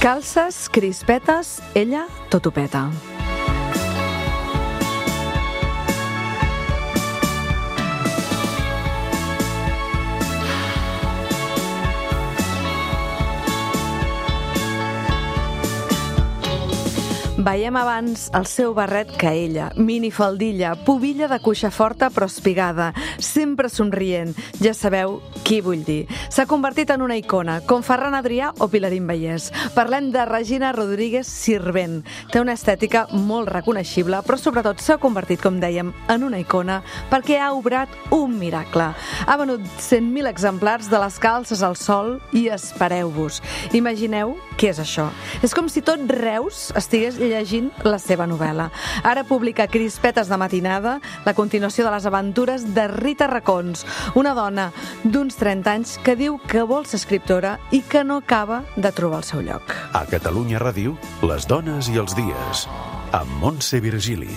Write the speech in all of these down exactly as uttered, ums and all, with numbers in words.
Calces, crispetes, ella tot ho peta. Veiem abans el seu barret que ella, minifaldilla, pubilla de cuixa forta però espigada, sempre somrient. Ja sabeu qui vull dir. S'ha convertit en una icona, com Ferran Adrià o Pilarín Vallès. Parlem de Regina Rodríguez Sirvent. Té una estètica molt reconeixible, però sobretot s'ha convertit, com dèiem, en una icona perquè ha obrat un miracle. Ha venut cent mil exemplars de les calces al sol i espereu-vos. Imagineu què és això. És com si tot Reus estigués llegint la seva novel·la. Ara publica Crispetes de matinada, la continuació de les aventures de Rita Racons, una dona d'uns trenta anys que diu que vol ser escriptora i que no acaba de trobar el seu lloc. A Catalunya Ràdio, les dones i els dies, amb Montse Virgili.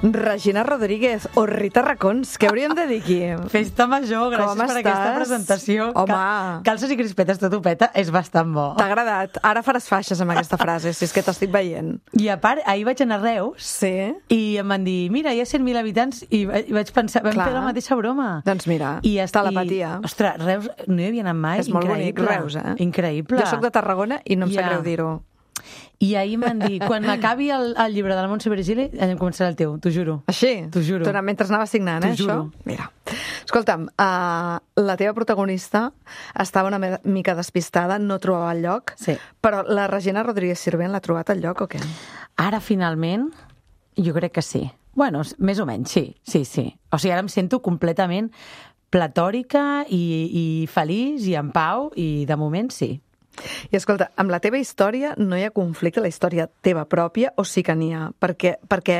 Regina Rodríguez o Rita Racons, què hauríem de dir aquí? Festa major, gràcies Com per estàs? aquesta presentació. Home. Cal- Calces i crispetes tot ho peta, és bastant bo. T'ha agradat? Ara faràs faixes amb aquesta frase, si és que t'estic veient. I a part, ahir vaig anar a Reus Sí? i em van dir, mira, hi ha cent mil habitants i va- i vaig pensar, vam Clar. fer la mateixa broma. Doncs mira, I ja- telepatia. I, ostres, Reus no hi havia anat mai. És molt bonic, Increïble. Reus, eh? Increïble. Jo sóc de Tarragona i no em sap Ja. greu dir-ho. I ahir em van dir, quan acabi el, el llibre de la Montse Virgili, em començarà el teu, t'ho juro. Així? T'ho juro. Tu, mentre anava signant, eh, T'ho juro. això? Mira. Escolta'm, uh, la teva protagonista estava una me- mica despistada, no trobava el lloc, Sí. però la Regina Rodríguez Sirvent l'ha trobat el lloc o què? Ara, finalment, jo crec que sí. Bueno, més o menys, sí, sí, sí. O sigui, ara em sento completament platòrica i, i feliç i en pau, i de moment sí. I escolta, amb la teva història no hi ha conflicte, la història teva pròpia, o sí que n'hi ha? Perquè, perquè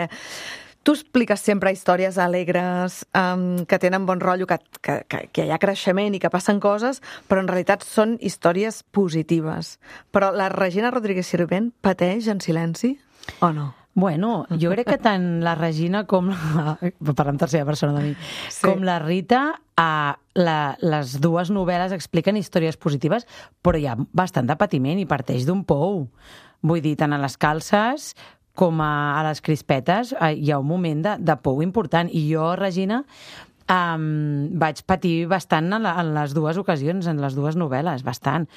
tu expliques sempre històries alegres, um, que tenen bon rotllo, que, que, que, que hi ha creixement i que passen coses, però en realitat són històries positives. Però la Regina Rodríguez Sirvent pateix en silenci o no? Bueno, jo crec que tant la Regina com la... Parlar en tercera persona de mi. Sí. Com la Rita, eh, la, les dues novel·les expliquen històries positives, però hi ha bastant de patiment i parteix d'un pou. Vull dir, tant a les calces com a, a les crispetes eh, hi ha un moment de, de pou important. I jo, Regina, um, vaig patir bastant en, la, en les dues ocasions, en les dues novel·les, bastant.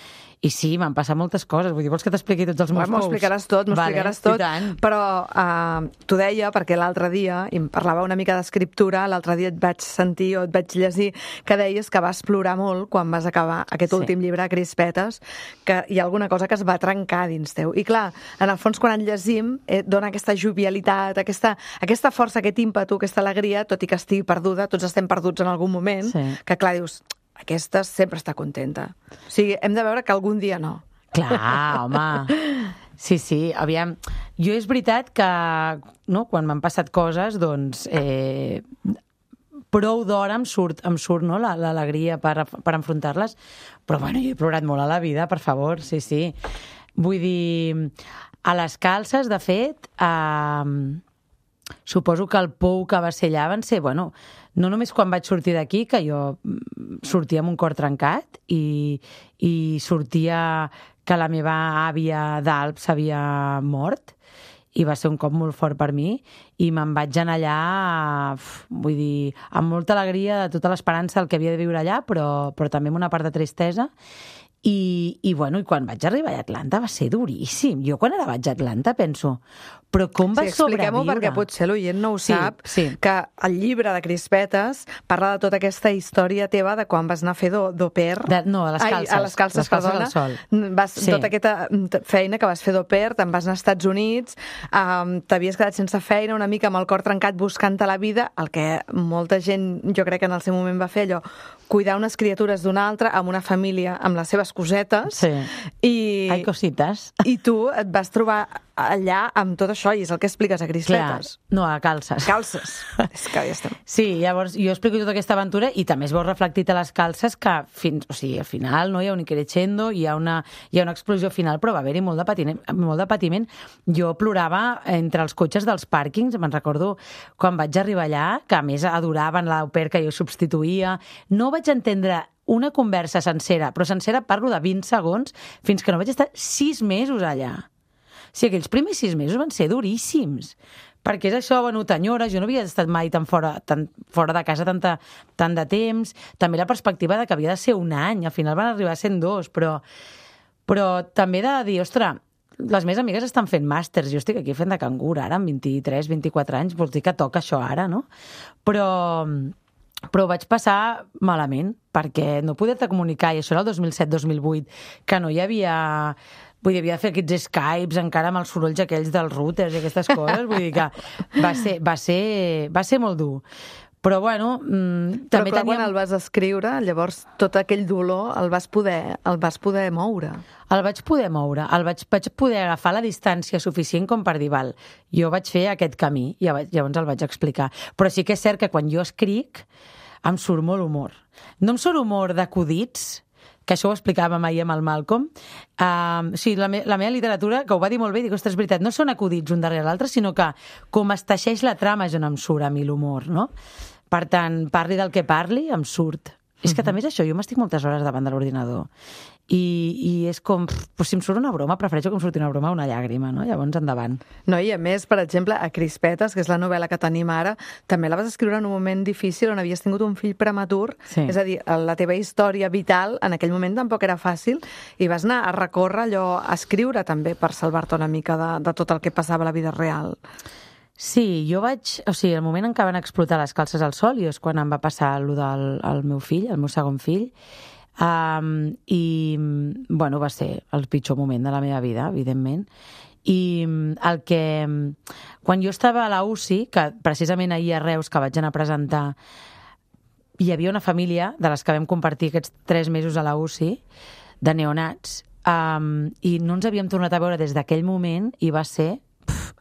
I sí, m'han passat moltes coses. Vull dir, vols que t'expliqui tots els meus M'ho pous? explicaràs tot, m'ho Vale, explicaràs i tot, tant. però uh, t'ho deia perquè l'altre dia, i em parlava una mica d'escriptura, l'altre dia et vaig sentir o et vaig llegir que deies que vas plorar molt quan vas acabar aquest Sí. últim llibre, Crispetes, que hi ha alguna cosa que es va trencar dins teu. I clar, en el fons, quan en llegim, eh, dona aquesta jovialitat, aquesta, aquesta força, aquest ímpetu, aquesta alegria, tot i que estigui perduda, tots estem perduts en algun moment, Sí. que clar, dius, aquesta sempre està contenta. O sigui, hem de veure que algun dia no. Clar, home. Sí, sí, aviam. Jo és veritat que, no, quan m'han passat coses, doncs, eh, prou d'hora em surt, em surt no, la- l'alegria per, per enfrontar-les, però bueno, jo he plorat molt a la vida, per favor, sí, sí. Vull dir, a les calces, de fet, eh, suposo que el pou que va ser allà van ser, bueno, no només quan vaig sortir d'aquí, que jo mm, sortia amb un cor trencat i, i sortia que la meva àvia d'Alp s'havia mort, i va ser un cop molt fort per mi, i me'n vaig anar allà, uf, vull dir, amb molta alegria de tota l'esperança del que havia de viure allà, però, però també amb una part de tristesa. I, i, bueno, i quan vaig arribar a Atlanta va ser duríssim. Jo quan ara vaig a Atlanta penso, però com va Sí, expliquem-ho sobreviure? perquè potser l'oient no ho Sí, sap, sí. que el llibre de Crispetes parla de tota aquesta història teva de quan vas anar a fer d'au d'au pair. De- no, a les calces. Ai, a les calces, Les calces perdona. al sol. Vas, Sí. Tota aquesta feina que vas fer d'au pair, te'n vas anar als Estats Units, um, t'havies quedat sense feina, una mica amb el cor trencat buscant-te la vida, el que molta gent, jo crec que en el seu moment va fer allò, cuidar unes criatures d'una altra, amb una família, amb les seves cosetes, Sí. i, Ai, cosites. i tu et vas trobar allà amb tot això, i és el que expliques a Clar, Crispetes. no, a calces. Calces. És que ja estem. Sí, llavors jo explico tota aquesta aventura i també es veu reflectit a les calces que fins, o sigui, al final no hi ha un crescendo, hi ha una, hi ha una explosió final, però va haver-hi molt de patiment, molt de patiment. Jo plorava entre els cotxes dels pàrquings, me'n recordo quan vaig arribar allà, que a més adoraven l'au pair que jo substituïa. No vaig entendre una conversa sencera, però sencera parlo de vint segons, fins que no vaig estar sis mesos allà. O sigui, aquells primers sis mesos van ser duríssims, perquè és això, bueno, t'enyores, jo no havia estat mai tan fora, tan fora de casa tanta, tant de temps, també la perspectiva de que havia de ser un any, al final van arribar a ser dos, però, però també de dir, ostres, les meves amigues estan fent màsters, jo estic aquí fent de cangur ara, amb vint-i-tres, vint-i-quatre anys, vols dir que toca això ara, no? Però... però ho vaig passar malament, perquè no poder-te comunicar, i això era el dos mil set dos mil vuit, que no hi havia... Vull dir, havia de fer aquests Skypes encara amb els sorolls aquells dels routers i aquestes coses, vull dir que va ser, va ser, va ser molt dur. Però, bueno, mmm, però també clar, teníem... quan el vas escriure, llavors tot aquell dolor el vas poder, el vas poder moure. El vaig poder moure, el vaig, vaig poder agafar la distància suficient com per dir, val, jo vaig fer aquest camí, i llavors el vaig explicar. Però sí que és cert que quan jo escric em surt molt humor. No em surt humor d'acudits, que això ho explicàvem ahir amb el Malcolm. Uh, o sigui, la, me la meva literatura, que ho va dir molt bé, dic, ostres, és veritat, no són acudits un darrere l'altre, sinó que com es teixeix la trama és on em surt a mi l'humor, no? Per tant, parli del que parli, em surt. És que també és això, jo m'estic moltes hores davant de l'ordinador i, i és com, pues, si em surt una broma, prefereixo que em surti una broma o una llàgrima, no? Llavors, endavant. No, i a més, per exemple, a Crispetes, que és la novel·la que tenim ara, també la vas escriure en un moment difícil on havies tingut un fill prematur, sí. És a dir, la teva història vital en aquell moment tampoc era fàcil i vas anar a recórrer allò, a escriure també per salvar-te una mica de, de tot el que passava a la vida real. Sí, jo vaig... O sigui, el moment en què van explotar les calces al sol i és quan em va passar allò del el meu fill, el meu segon fill, um, i, bueno, va ser el pitjor moment de la meva vida, evidentment. I el que... Quan jo estava a la U C I, que precisament ahir a Reus, que vaig anar a presentar, hi havia una família de les que vam compartir aquests tres mesos a la U C I, de neonats, um, i no ens havíem tornat a veure des d'aquell moment i va ser...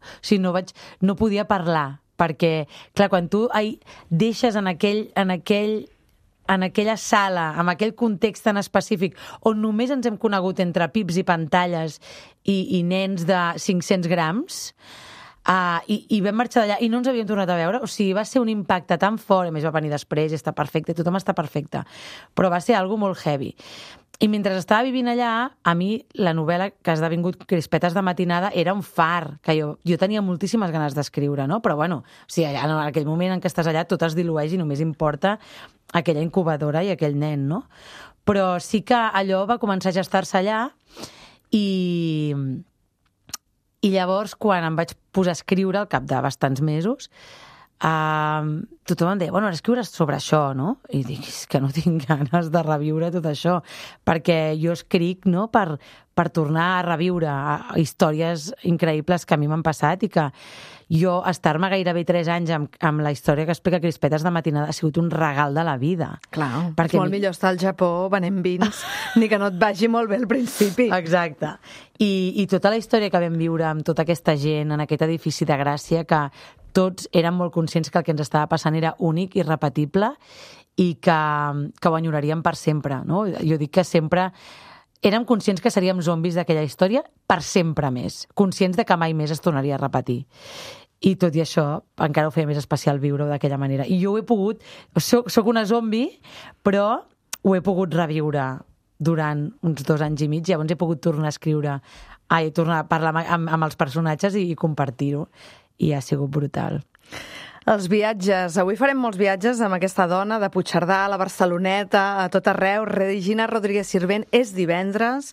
O sigui, no, vaig, no podia parlar, perquè, clar, quan tu ai, deixes en, aquell, en, aquell, en aquella sala, en aquell context tan específic, on només ens hem conegut entre pips i pantalles i, i nens de cinc-cents grams, uh, i, i vam marxar d'allà i no ens havíem tornat a veure, o sigui, va ser un impacte tan fort, a més va venir després i està perfecte, tothom està perfecte, però va ser algo molt heavy. I mentre estava vivint allà, a mi la novel·la que ha esdevingut Crispetes de matinada era un far, que jo, jo tenia moltíssimes ganes d'escriure, no? Però bueno, o sigui, allà, en aquell moment en què estàs allà tot es dilueix i només importa aquella incubadora i aquell nen, no? Però sí que allò va començar a gestar-se allà i... i llavors quan em vaig posar a escriure al cap de bastants mesos, Uh, tothom em deia, bueno, ara escriuràs sobre això, no? I dic, és que no tinc ganes de reviure tot això, perquè jo escric, no?, per, per tornar a reviure històries increïbles que a mi m'han passat i que jo estar-me gairebé tres anys amb, amb la història que explica Crispetes de matinada ha sigut un regal de la vida. Clar, perquè és molt mi... millor estar al Japó venent vins, ni que no et vagi molt bé al principi. Exacte. I, i tota la història que vam viure amb tota aquesta gent en aquest edifici de Gràcia, que tots érem molt conscients que el que ens estava passant era únic i repetible i que, que ho enyoraríem per sempre, no? Jo dic que sempre érem conscients que seríem zombis d'aquella història per sempre més, conscients de que mai més es tornaria a repetir. I tot i això, encara ho feia més especial viure-ho d'aquella manera. I jo ho he pogut... Soc, soc una zombi, però ho he pogut reviure durant uns dos anys i mig, llavors he pogut tornar a escriure, ai, tornar a parlar amb, amb els personatges i, i compartir-ho. I ha sigut brutal. Els viatges. Avui farem molts viatges amb aquesta dona de Puigcerdà, a la Barceloneta, a tot arreu. Regina Rodríguez Sirvent, és divendres.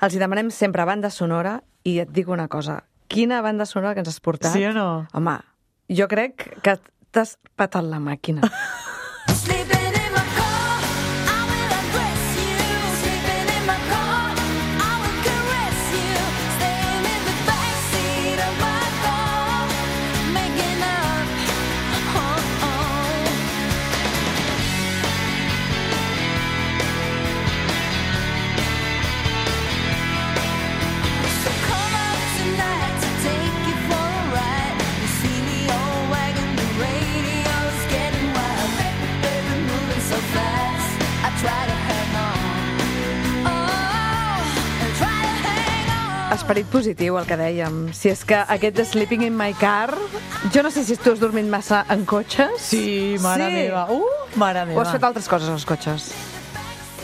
Els hi demanem sempre banda sonora i et dic una cosa. Quina banda sonora que ens has portat? Sí o no? Home, jo crec que t'has patat la màquina. Esperit positiu, el que dèiem. Si és que aquest de Sleeping in my car... Jo no sé si tu has dormit massa en cotxes. Sí, mare sí. meva. Uh, mare meva. O has fet altres coses als cotxes?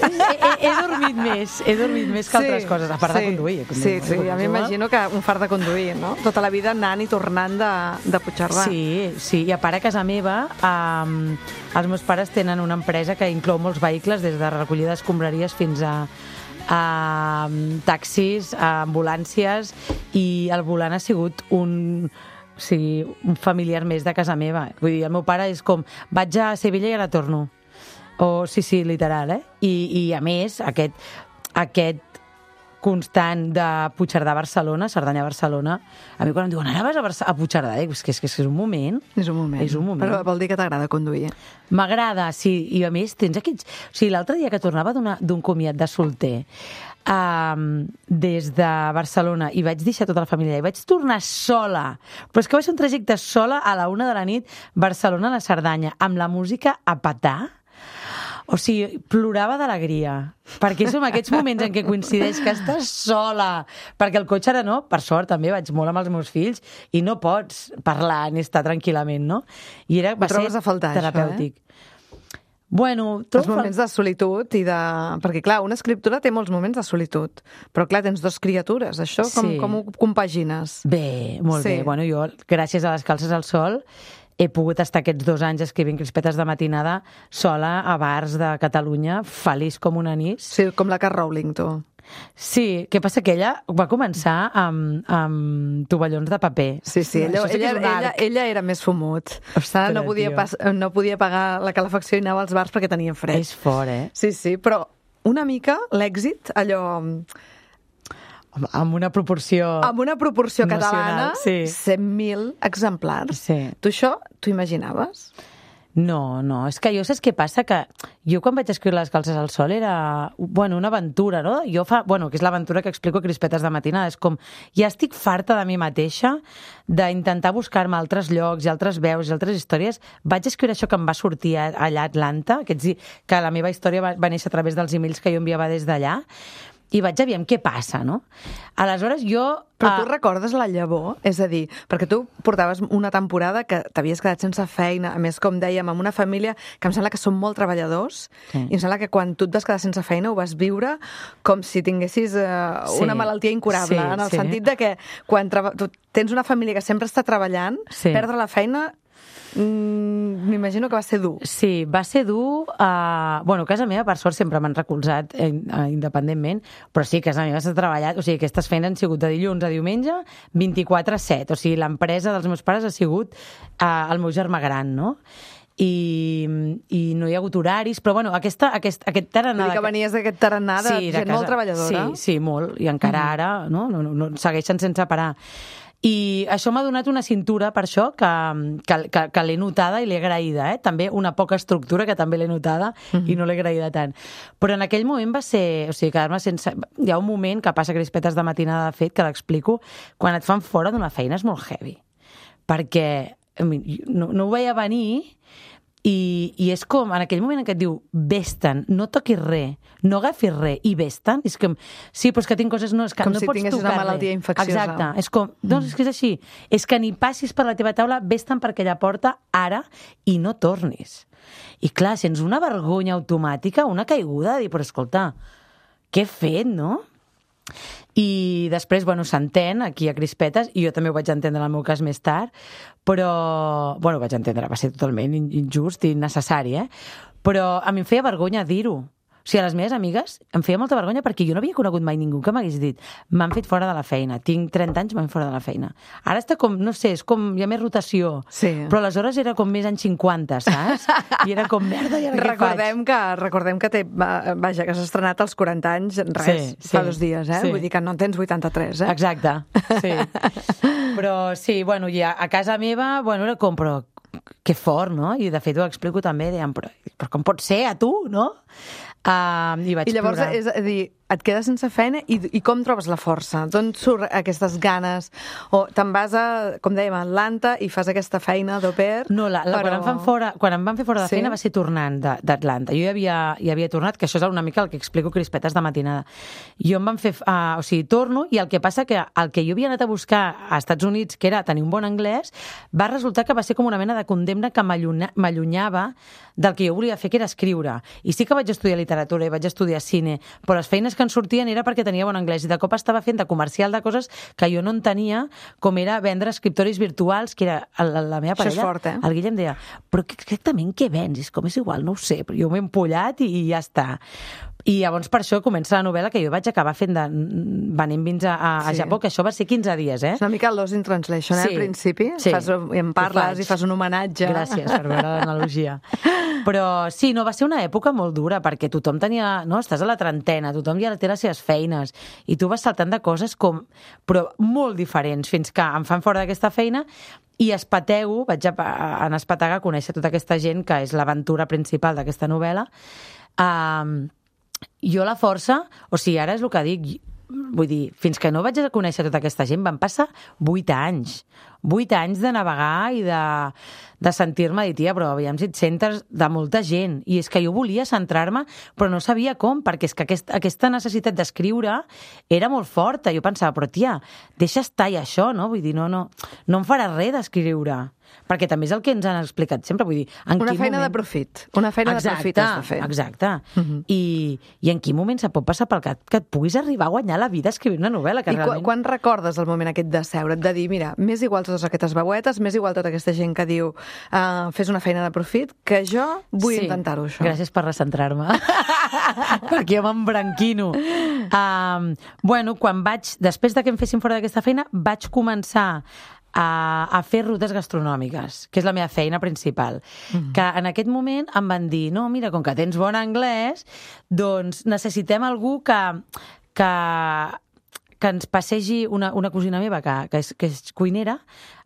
he, he, he dormit més, he dormit més que altres coses, a part sí, de conduir. conduir Sí, sí, ja m'imagino que un fart de conduir, no? Tota la vida anant i tornant de, de Puigcerdà. Sí, sí, i a part a casa meva um, els meus pares tenen una empresa que inclou molts vehicles, des de recollida d'escombraries fins a a taxis, a ambulàncies, i el volant ha sigut un... Sí, un familiar més de casa meva. Vull dir, el meu pare és com, vaig a Sevilla i ara torno. O, sí, sí, literal, eh? I, i a més, aquest, aquest constant de Puigcerdà a Barcelona, Cerdanya a Barcelona, a mi quan em diuen, ara vas a, Barça a Puigcerdà, dic, és que, és que és un moment. És un moment. És un moment. Però vol dir que t'agrada conduir. M'agrada, sí, i a més tens aquests... O sigui, l'altre dia que tornava d'un comiat de solter, Um, des de Barcelona, i vaig deixar tota la família i vaig tornar sola, però és que va ser un trajecte sola a la una de la nit, Barcelona a la Cerdanya, amb la música a petar. O sigui, plorava d'alegria, perquè són aquests moments en què coincideix que estàs sola, perquè el cotxe ara no, per sort també vaig molt amb els meus fills i no pots parlar ni estar tranquil·lament, no? I era, va ser a faltar, terapèutic. Això, eh? Bueno, els moments de solitud i de... Perquè, clar, una escriptura té molts moments de solitud, però, clar, tens dos criatures. Això com, sí. com ho compagines? Bé, molt sí. bé. Bueno, jo, gràcies a les calces al sol, he pogut estar aquests dos anys escrivint crispetes de matinada sola a bars de Catalunya, feliç com un anís. Sí, com la K. Rowling, tu. Sí, què passa? Que ella va començar amb, amb tovallons de paper. Sí, sí, ella, sí ella, ella, ella era més fumut. Ostres, no, podia pas, no podia pagar la calefacció i anava als bars perquè tenia fred. És fort, eh? Sí, sí, però una mica l'èxit, allò... Amb una proporció... Amb una proporció catalana, sí. cent mil exemplars. Sí. Tu això, t'ho imaginaves? No, no, és que jo saps què passa? Que jo quan vaig escriure Les calces al sol era, bueno, una aventura, no? Jo fa, bueno, que és l'aventura que explico a Crispetes de matinada, és com, ja estic farta de mi mateixa, d'intentar buscar-me altres llocs i altres veus i altres històries. Vaig escriure això que em va sortir allà a Atlanta, aquests, que la meva història va, va néixer a través dels emails que jo enviava des d'allà, i vaig aviam què passa, no? Aleshores jo... Però tu uh... recordes la llavor? És a dir, perquè tu portaves una temporada que t'havies quedat sense feina, a més, com dèiem, amb una família que em sembla que són molt treballadors, sí. I em sembla que quan tu et vas quedar sense feina ho vas viure com si tinguessis uh, sí. una malaltia incurable, sí, en el sí. sentit de que quan tu tens una família que sempre està treballant, sí. Perdre la feina... Mm, m'imagino que va ser dur. Sí, va ser dur. Uh, bueno, casa meva, per sort, sempre m'han recolzat eh, independentment, però sí, casa meva s'ha treballat, o sigui, aquestes feines han sigut de dilluns a diumenge, vint-i-quatre set, o sigui, l'empresa dels meus pares ha sigut uh, el meu germà gran, no? I, i no hi ha hagut horaris, però bueno, aquesta, aquest, aquest tarannà... Vull dir que venies d'aquest tarannà de sí, gent de casa, molt treballadora. Sí, sí, molt, i encara mm. ara, no? No, no, no, segueixen sense parar. I això m'ha donat una cintura, per això, que, que, que, que l'he notada i l'he agraïda, eh? També una poca estructura, que també l'he notada, mm-hmm. i no l'he agraïda tant. Però en aquell moment va ser... O sigui, quedar-me sense... Hi ha un moment que passa Crispetes de matinada, de fet, que l'explico, quan et fan fora d'una feina és molt heavy. Perquè no, no ho veia venir... I, i és com, en aquell moment en què et diu vés-te'n, no toquis res, no agafis res, i vés-te'n, és com, sí, però és que tinc coses, no, és que com no si pots tocar res. Com si tinguessis una malaltia infecciosa. Exacte, és com, doncs és que és així, és que ni passis per la teva taula, vés-te'n per aquella porta ara i no tornis. I clar, sents una vergonya automàtica, una caiguda, de dir, però escolta, què he fet, no? I després, bueno, s'entén aquí a Crispetes, i jo també ho vaig entendre en el meu cas més tard, però, bueno, ho vaig entendre, va ser totalment injust i innecessari, eh? Però a mi em feia vergonya dir-ho. O sigui, a les meves amigues em feia molta vergonya perquè jo no havia conegut mai ningú que m'hagués dit m'han fet fora de la feina, tinc trenta anys, m'han fet fora de la feina. Ara està com, no sé, és com, hi ha més rotació, sí. Però aleshores era com més anys cinquanta, saps? I era com, merda, i ara recordem què faig? Que, recordem que té, vaja, que s'ha estrenat als quaranta anys, res, sí, sí, fa dos dies, eh? Sí. Vull dir que no en tens vuitanta-tres, eh? Exacte, sí. Però sí, bueno, ja a casa meva, bueno, era com, però que fort, no? I de fet ho explico també, dèiem, però, però com pot ser a tu, no? Uh, I vaig I llavors, plorar. És a dir, et quedes sense feina i, i com trobes la força? D'on surt aquestes ganes? O te'n vas a, com dèiem, a Atlanta i fas aquesta feina d'au pair? No, la, la, però... quan, em fan fora, quan em van fer fora de Sí? feina va ser tornant d'Atlanta. Jo ja havia, ja havia tornat, que això és una mica el que explico crispetes de matinada. Jo em van fer... Uh, o sigui, torno i el que passa que el que jo havia anat a buscar a Estats Units, que era tenir un bon anglès, va resultar que va ser com una mena de condemna que m'allunyava del que jo volia fer, que era escriure. I sí que vaig estudiar literatura i vaig estudiar cine, però les feines que en sortien era perquè tenia bon anglès i de cop estava fent de comercial de coses que jo no en tenia, com era vendre escriptoris virtuals, que era la, la meva parella. Això és fort, eh? El Guillem deia, però exactament què vens? És com és igual, no ho sé, però jo m'he empollat i, i ja està. I llavors per això comença la novel·la que jo vaig acabar fent de venint vins a, a, a Sí. Japó, que això va ser quinze dies, eh? És una mica el Lost in Translation, eh, Sí, al principi. sí. Fas, em parles i fas un homenatge. Gràcies per veure l'analogia. Però sí, no, va ser una època molt dura, perquè tothom tenia... No, estàs a la trentena, tothom ja té les seves feines, i tu vas saltant de coses com... però molt diferents, fins que em fan fora d'aquesta feina i espatego, vaig a, a, a espetegar a conèixer tota aquesta gent, que és l'aventura principal d'aquesta novel·la. Um, jo la força, o sigui, ara és el que dic, vull dir, fins que no vaig a conèixer tota aquesta gent van passar vuit anys. Vuit anys de navegar i de, de sentir-me dir, tia, però aviam si et sentes de molta gent. I és que jo volia centrar-me, però no sabia com, perquè és que aquest, aquesta necessitat d'escriure era molt forta. Jo pensava, però tia, deixa estar i això, no? Vull dir, no, no, no em farà res d'escriure. Perquè també és el que ens han explicat sempre. Vull dir, en Una quin feina moment... de profit. Una feina exacte, de profit has de fer. Exacte. Uh -huh. I, I en quin moment se pot passar pel cap que et puguis arribar a guanyar la vida escrivint una novel·la? Que I realment... quan, quan recordes el moment aquest de seure't, de dir, mira, m'és igual totes aquestes veuetes, m'és igual tota aquesta gent que diu uh, fes una feina de profit, que jo vull sí. intentar-ho, això. Gràcies per recentrar-me. Perquè jo m'embranquino. Um, bueno, quan vaig... Després de que em fessin fora d'aquesta feina, vaig començar a, a fer rutes gastronòmiques, que és la meva feina principal. Mm. Que en aquest moment em van dir, no, mira, com que tens bon anglès, doncs necessitem algú que... que que ens passegi una, una cosina meva, que, que, és, que és cuinera,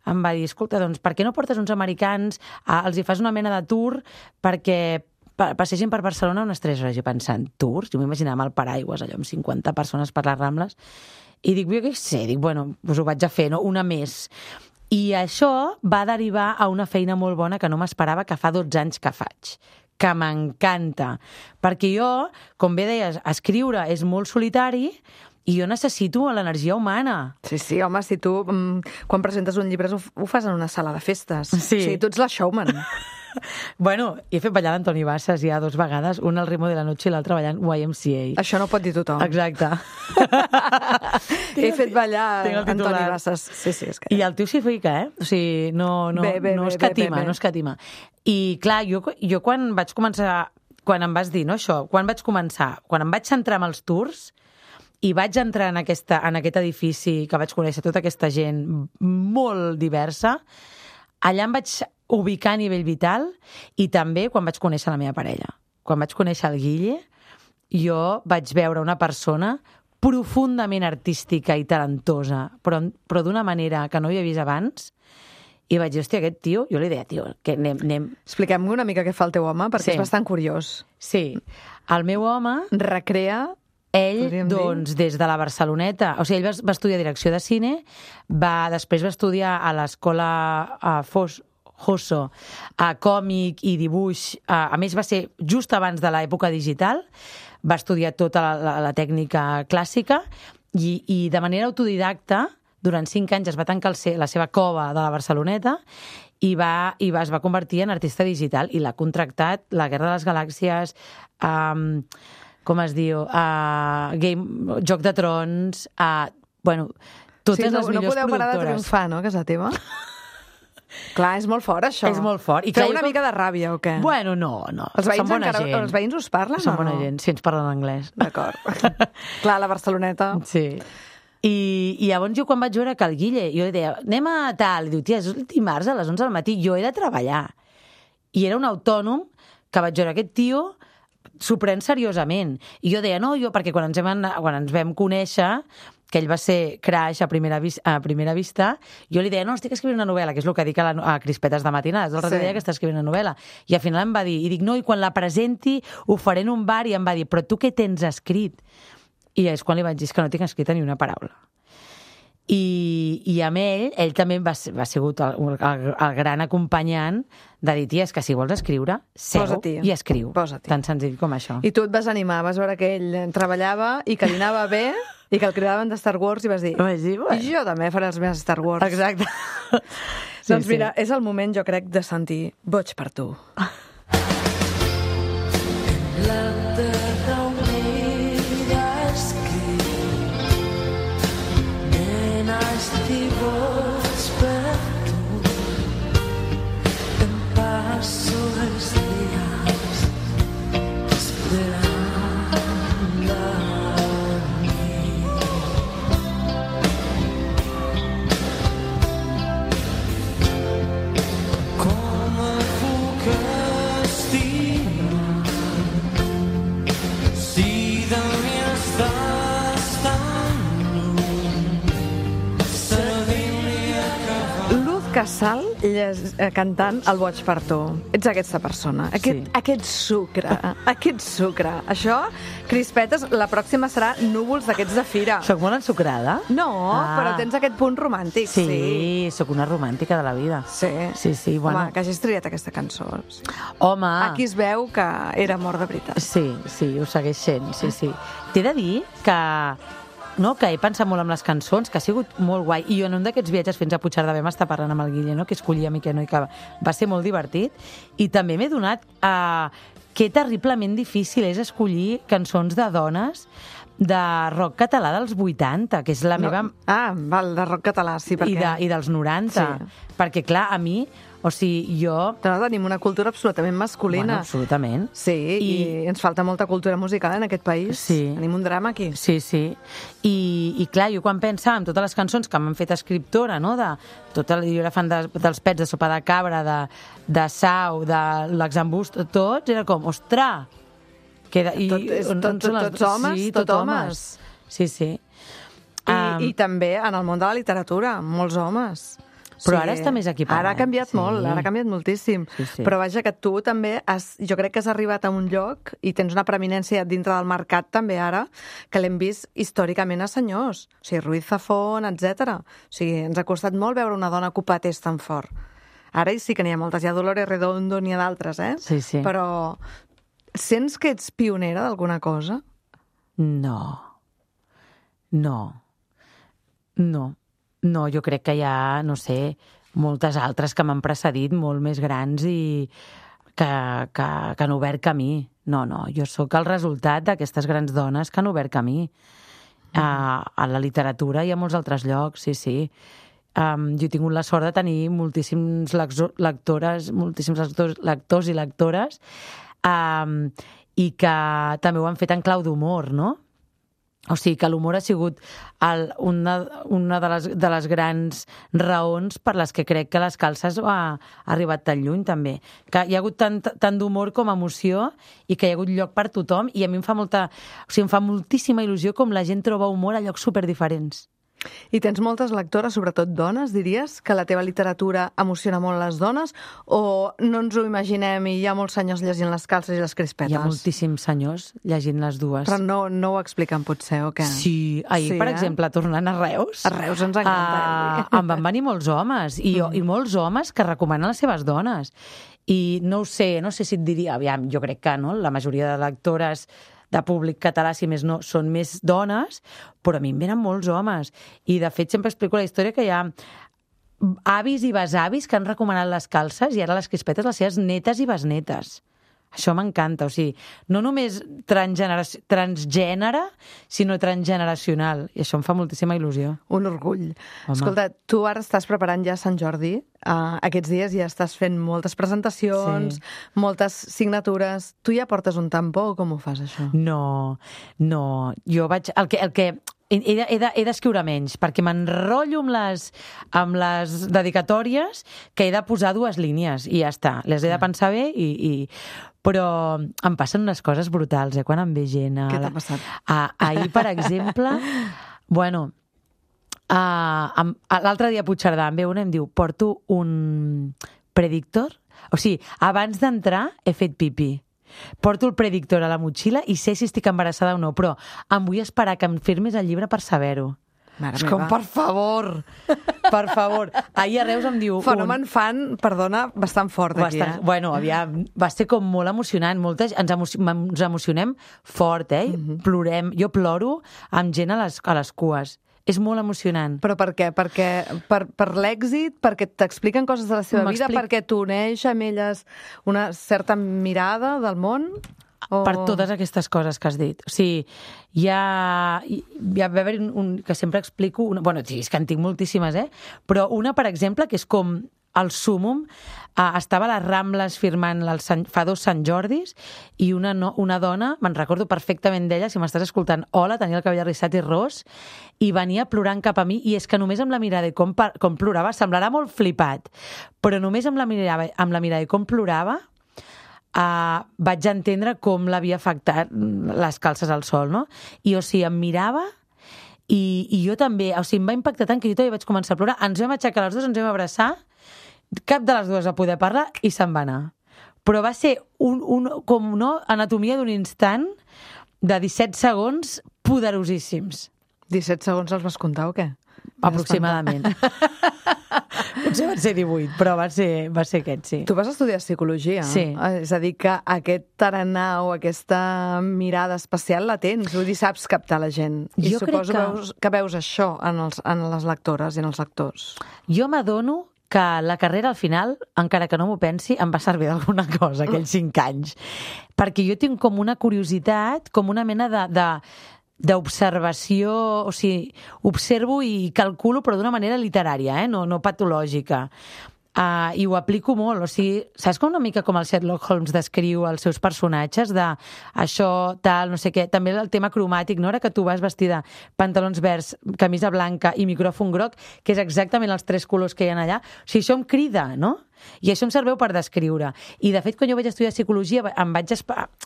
em va dir, escolta, doncs, per què no portes uns americans, a, els hi fas una mena de tour perquè passegin per Barcelona unes tres hores? Jo pensant, tours? Jo m'imaginava amb el paraigües, allò, amb cinquanta persones per les Rambles, i dic, jo què sé, dic, bueno, doncs ho vaig a fer, no? Una més. I això va derivar a una feina molt bona que no m'esperava, que fa dotze anys que faig, que m'encanta. Perquè jo, com bé deies, escriure és molt solitari, i jo necessito l'energia humana. Sí, sí, home, si tu, quan presentes un llibre, ho, ho fas en una sala de festes. Sí. O sigui, tu ets la showman. Bueno, he fet ballar l'Antoni Bassas ja dues vegades, una al ritmo de la noche i l'altra ballant Y M C A. Això no pot dir tothom. Exacte. He fet ballar Tinc el Antoni titular. Bassas. Sí, sí, és que... I el tio s'hi fica, eh? O sigui, no, no, Bé, bé, no bé, escatima, bé, bé. no escatima. I clar, jo, jo quan vaig començar, quan em vas dir, no, això, quan vaig començar, quan em vaig centrar en els tours i vaig entrar en, aquesta, en aquest edifici que vaig conèixer tota aquesta gent molt diversa, allà em vaig ubicar a nivell vital i també quan vaig conèixer la meva parella. Quan vaig conèixer el Guille, jo vaig veure una persona profundament artística i talentosa, però, però d'una manera que no havia vist abans, i vaig dir, hòstia, aquest tio, jo li deia, tio, que anem... anem... Expliquem una mica què fa el teu home, perquè Sí. és bastant curiós. Sí, el meu home... Recrea... Ell, podríem doncs, des de la Barceloneta... O sigui, ell va, va estudiar direcció de cine, va, després va estudiar a l'escola a Fos, Hosso, a còmic i dibuix. A, a més, va ser just abans de l'època digital, va estudiar tota la, la, la tècnica clàssica i, i de manera autodidacta, durant cinc anys es va tancar el, la seva cova de la Barceloneta i, va, i va, es va convertir en artista digital i l'ha contractat la Guerra de les Galàxies, um, com es diu, uh, Game, Joc de Trons, uh, bueno, totes sí, no, les millors no podeu parar de productores. triomfar, no, a casa teva? Clar, és molt fort, això. És molt fort. I Feu clar, una jo- mica de ràbia, o què? Bueno, no, no. els veïns, Són bona encara, gent. els veïns us parlen Són o bona no? gent, si ens parlen anglès. D'acord. Clar, la Barceloneta... Sí. I, I llavors jo quan vaig veure que el Guille, jo li deia, anem a tal, i diu, tia, és el dimarts a les onze del matí, jo he de treballar. I era un autònom que vaig veure aquest tio s'ho pren seriosament. I jo deia, no, jo, perquè quan ens, hem, quan ens vam conèixer, que ell va ser crash a primera, vis, a primera vista, jo li deia, no, estic escrivint una novel·la, que és el que dic a, la, a Crispetes de matinades, el sí. Dia que està escrivint una novel·la. I al final em va dir, i dic, no, i quan la presenti ho faré en un bar, i em va dir, però tu què tens escrit? I és quan li vaig dir que no tinc escrita ni una paraula. I, i amb ell, ell també va, va sigut el, el, el gran acompanyant de dir, tia, és que si vols escriure, seu i escriu. Posa-t'hi. Tan senzill com això. I tu et vas animar, vas veure que ell treballava i que li anava bé i que el cridaven de Star Wars i vas dir, vaig dir bueno. I jo també faré els meus Star Wars. Exacte. Sí, doncs mira, sí. És el moment, jo crec, de sentir Boig per tu. Casal cantant El boig per tu. Ets aquesta persona, aquest, sí. aquest sucre, aquest sucre. Això, crispetes, la pròxima serà núvols d'aquests de fira. Soc molt ensucrada? No, ah. però tens aquest punt romàntic. Sí, sí, sóc una romàntica de la vida. Sí, sí, sí bueno. Home, que hagis triat aquesta cançó. Home... Aquí es veu que era amor de veritat. Sí, sí, ho segueix sent, sí, sí. T'he de dir que... No, que he pensat molt amb les cançons, que ha sigut molt guai. I jo en un d'aquests viatges fins a Puigcerdà vam estar parlant amb el Guille, no? Que escollia mi que no, i que va ser molt divertit. I també m'he donat a que terriblement difícil és escollir cançons de dones de rock català dels vuitanta, que és la no. meva... Ah, val, de rock català, sí, perquè... I, de, i dels noranta. Sí. Perquè, clar, a mi... O sigui, jo... No, tenim una cultura absolutament masculina. Bueno, absolutament. Sí, i... i ens falta molta cultura musical en aquest país. Sí. Tenim un drama aquí. Sí, sí. I, i clar, jo quan pensava en totes les cançons que m'han fet escriptora, no?, de tota, jo era fan de, dels pets de sopa de cabra, de, de Sau, de l'exambust, tots, era com, ostres! Queda, i, tot, és, on, tot, on tot, tots les... homes, sí, tot, tot homes. Sí, sí. I, um... I també en el món de la literatura, molts homes. Però sí. ara està més equipat. Ara ha canviat sí. molt, ara ha canviat moltíssim. Sí, sí. Però vaja, que tu també has, jo crec que has arribat a un lloc i tens una preeminència dintre del mercat també ara, que l'hem vist històricament a senyors. O sigui, Ruiz Zafón, etcètera. O sigui, ens ha costat molt veure una dona ocupar tés tan fort. Ara sí que n'hi ha moltes. Hi ha Dolores Redondo, n'hi ha d'altres, eh? Sí, sí. Però sents que ets pionera d'alguna cosa? No. No. No. No, jo crec que hi ha, no sé, moltes altres que m'han precedit, molt més grans i que, que, que han obert camí. No, no, jo sóc el resultat d'aquestes grans dones que han obert camí. Mm. A, a la literatura i a molts altres llocs, sí, sí. Um, jo he tingut la sort de tenir moltíssims lectores, moltíssims lectors, lectors i lectores um, i que també ho han fet en clau d'humor, no? O sigui, que l'humor ha sigut el, una, una de, les, de les grans raons per les que crec que les calces ha, ha arribat tan lluny, també. Que hi ha hagut tant, tant d'humor com emoció i que hi ha hagut lloc per tothom i a mi em fa molta... O sigui, em fa moltíssima il·lusió com la gent troba humor a llocs superdiferents. I tens moltes lectores, sobretot dones, diries, que la teva literatura emociona molt les dones, o no ens ho imaginem i hi ha molts senyors llegint les calces i les crispetes? Hi ha moltíssims senyors llegint les dues. Però no, no ho expliquen, potser, o què? Sí, ahir, sí, per eh? exemple, tornant a Reus... A Reus ens encanta. Uh, em van venir molts homes, i, mm. i molts homes que recomanen les seves dones. I no ho sé, no sé si et diria... Aviam, jo crec que no, la majoria de lectores de públic català, si més no, són més dones, però a mi em venen molts homes. I, de fet, sempre explico la història que hi ha avis i besavis que han recomanat les calces i ara les crispetes les seves netes i besnetes. Això m'encanta, o sigui, no només transgènere, sinó transgeneracional. I això em fa moltíssima il·lusió. Un orgull. Home. Escolta, tu ara estàs preparant ja Sant Jordi. Uh, aquests dies ja estàs fent moltes presentacions, sí. moltes signatures. Tu ja portes un tampó o com ho fas, això? No, no. Jo vaig... El que... El que... He, he, de, he d'escriure menys, perquè m'enrotllo amb les, amb les dedicatòries que he de posar dues línies i ja està. Les he de pensar bé i... i... Però em passen unes coses brutals, eh, quan em ve gent. A... Què t'ha passat? A, ahir, per exemple, bueno, a, a, l'altre dia a Puigcerdà em ve una i em diu, porto un predictor? O sigui, abans d'entrar he fet pipí. Porto el predictor a la motxilla i sé si estic embarassada o no, però em vull esperar que em firmis el llibre per saber-ho. Mare és meva. com, per favor, per favor. Ahir a Reus em diu... Fenomen un... fan, perdona, bastant fort aquí, bastant, eh? Bueno, aviam, va ser com molt emocionant. Molta, ens, emo ens emocionem fort, eh? Mm-hmm. Plorem. Jo ploro amb gent a les, a les cues. És molt emocionant. Però per què? Perquè, per per l'èxit? Perquè t'expliquen coses de la seva vida? Perquè t'uneix amb elles una certa mirada del món? O... Per totes aquestes coses que has dit. O sigui, hi ha... Hi ha d'haver un, un... que sempre explico... Una, bueno, sí, és que en tinc moltíssimes, eh? Però una, per exemple, que és com el súmum, eh, estava a les Rambles firmant el Sant, fa dos Sant Jordis i una, no, una dona, me'n recordo perfectament d'ella, si m'estàs escoltant, hola, tenia el cabell arrissat i ros, i venia plorant cap a mi, i és que només amb la mirada i com, com plorava, semblarà molt flipat, però només amb la mirada, amb la mirada i com plorava, Uh, vaig entendre com l'havia afectat les calces al sol, no? I, o sigui, em mirava i, i jo també, o sigui, em va impactar tant que jo també vaig començar a plorar. Ens vam aixecar les dues, ens vam abraçar, cap de les dues va poder parlar i se'n va anar. Però va ser un, un, com no, anatomia d'un instant de disset segons poderosíssims. disset segons els vas comptar o què? Aproximadament. Potser van ser divuit, però va ser, va ser aquest, sí. Tu vas estudiar psicologia. Sí. És a dir, que aquest tarannà o aquesta mirada especial la tens. Vull dir, saps captar la gent. I Jo suposo crec que... veus, que veus això en, els, en les lectores i en els lectors. Jo m'adono que la carrera al final, encara que no m'ho pensi, em va servir d'alguna cosa, aquells cinc anys. Perquè jo tinc com una curiositat, com una mena de... de d'observació, o sigui, observo i calculo, però d'una manera literària, eh? no, no patològica. Uh, I ho aplico molt, o sigui, saps com una mica com el Sherlock Holmes descriu els seus personatges, de això, tal, no sé què, també el tema cromàtic, no? Ara que tu vas vestida pantalons verds, camisa blanca i micròfon groc, que és exactament els tres colors que hi ha allà, o sigui, això em crida, no? I això em serveix per descriure. I, de fet, quan jo vaig estudiar psicologia, em vaig,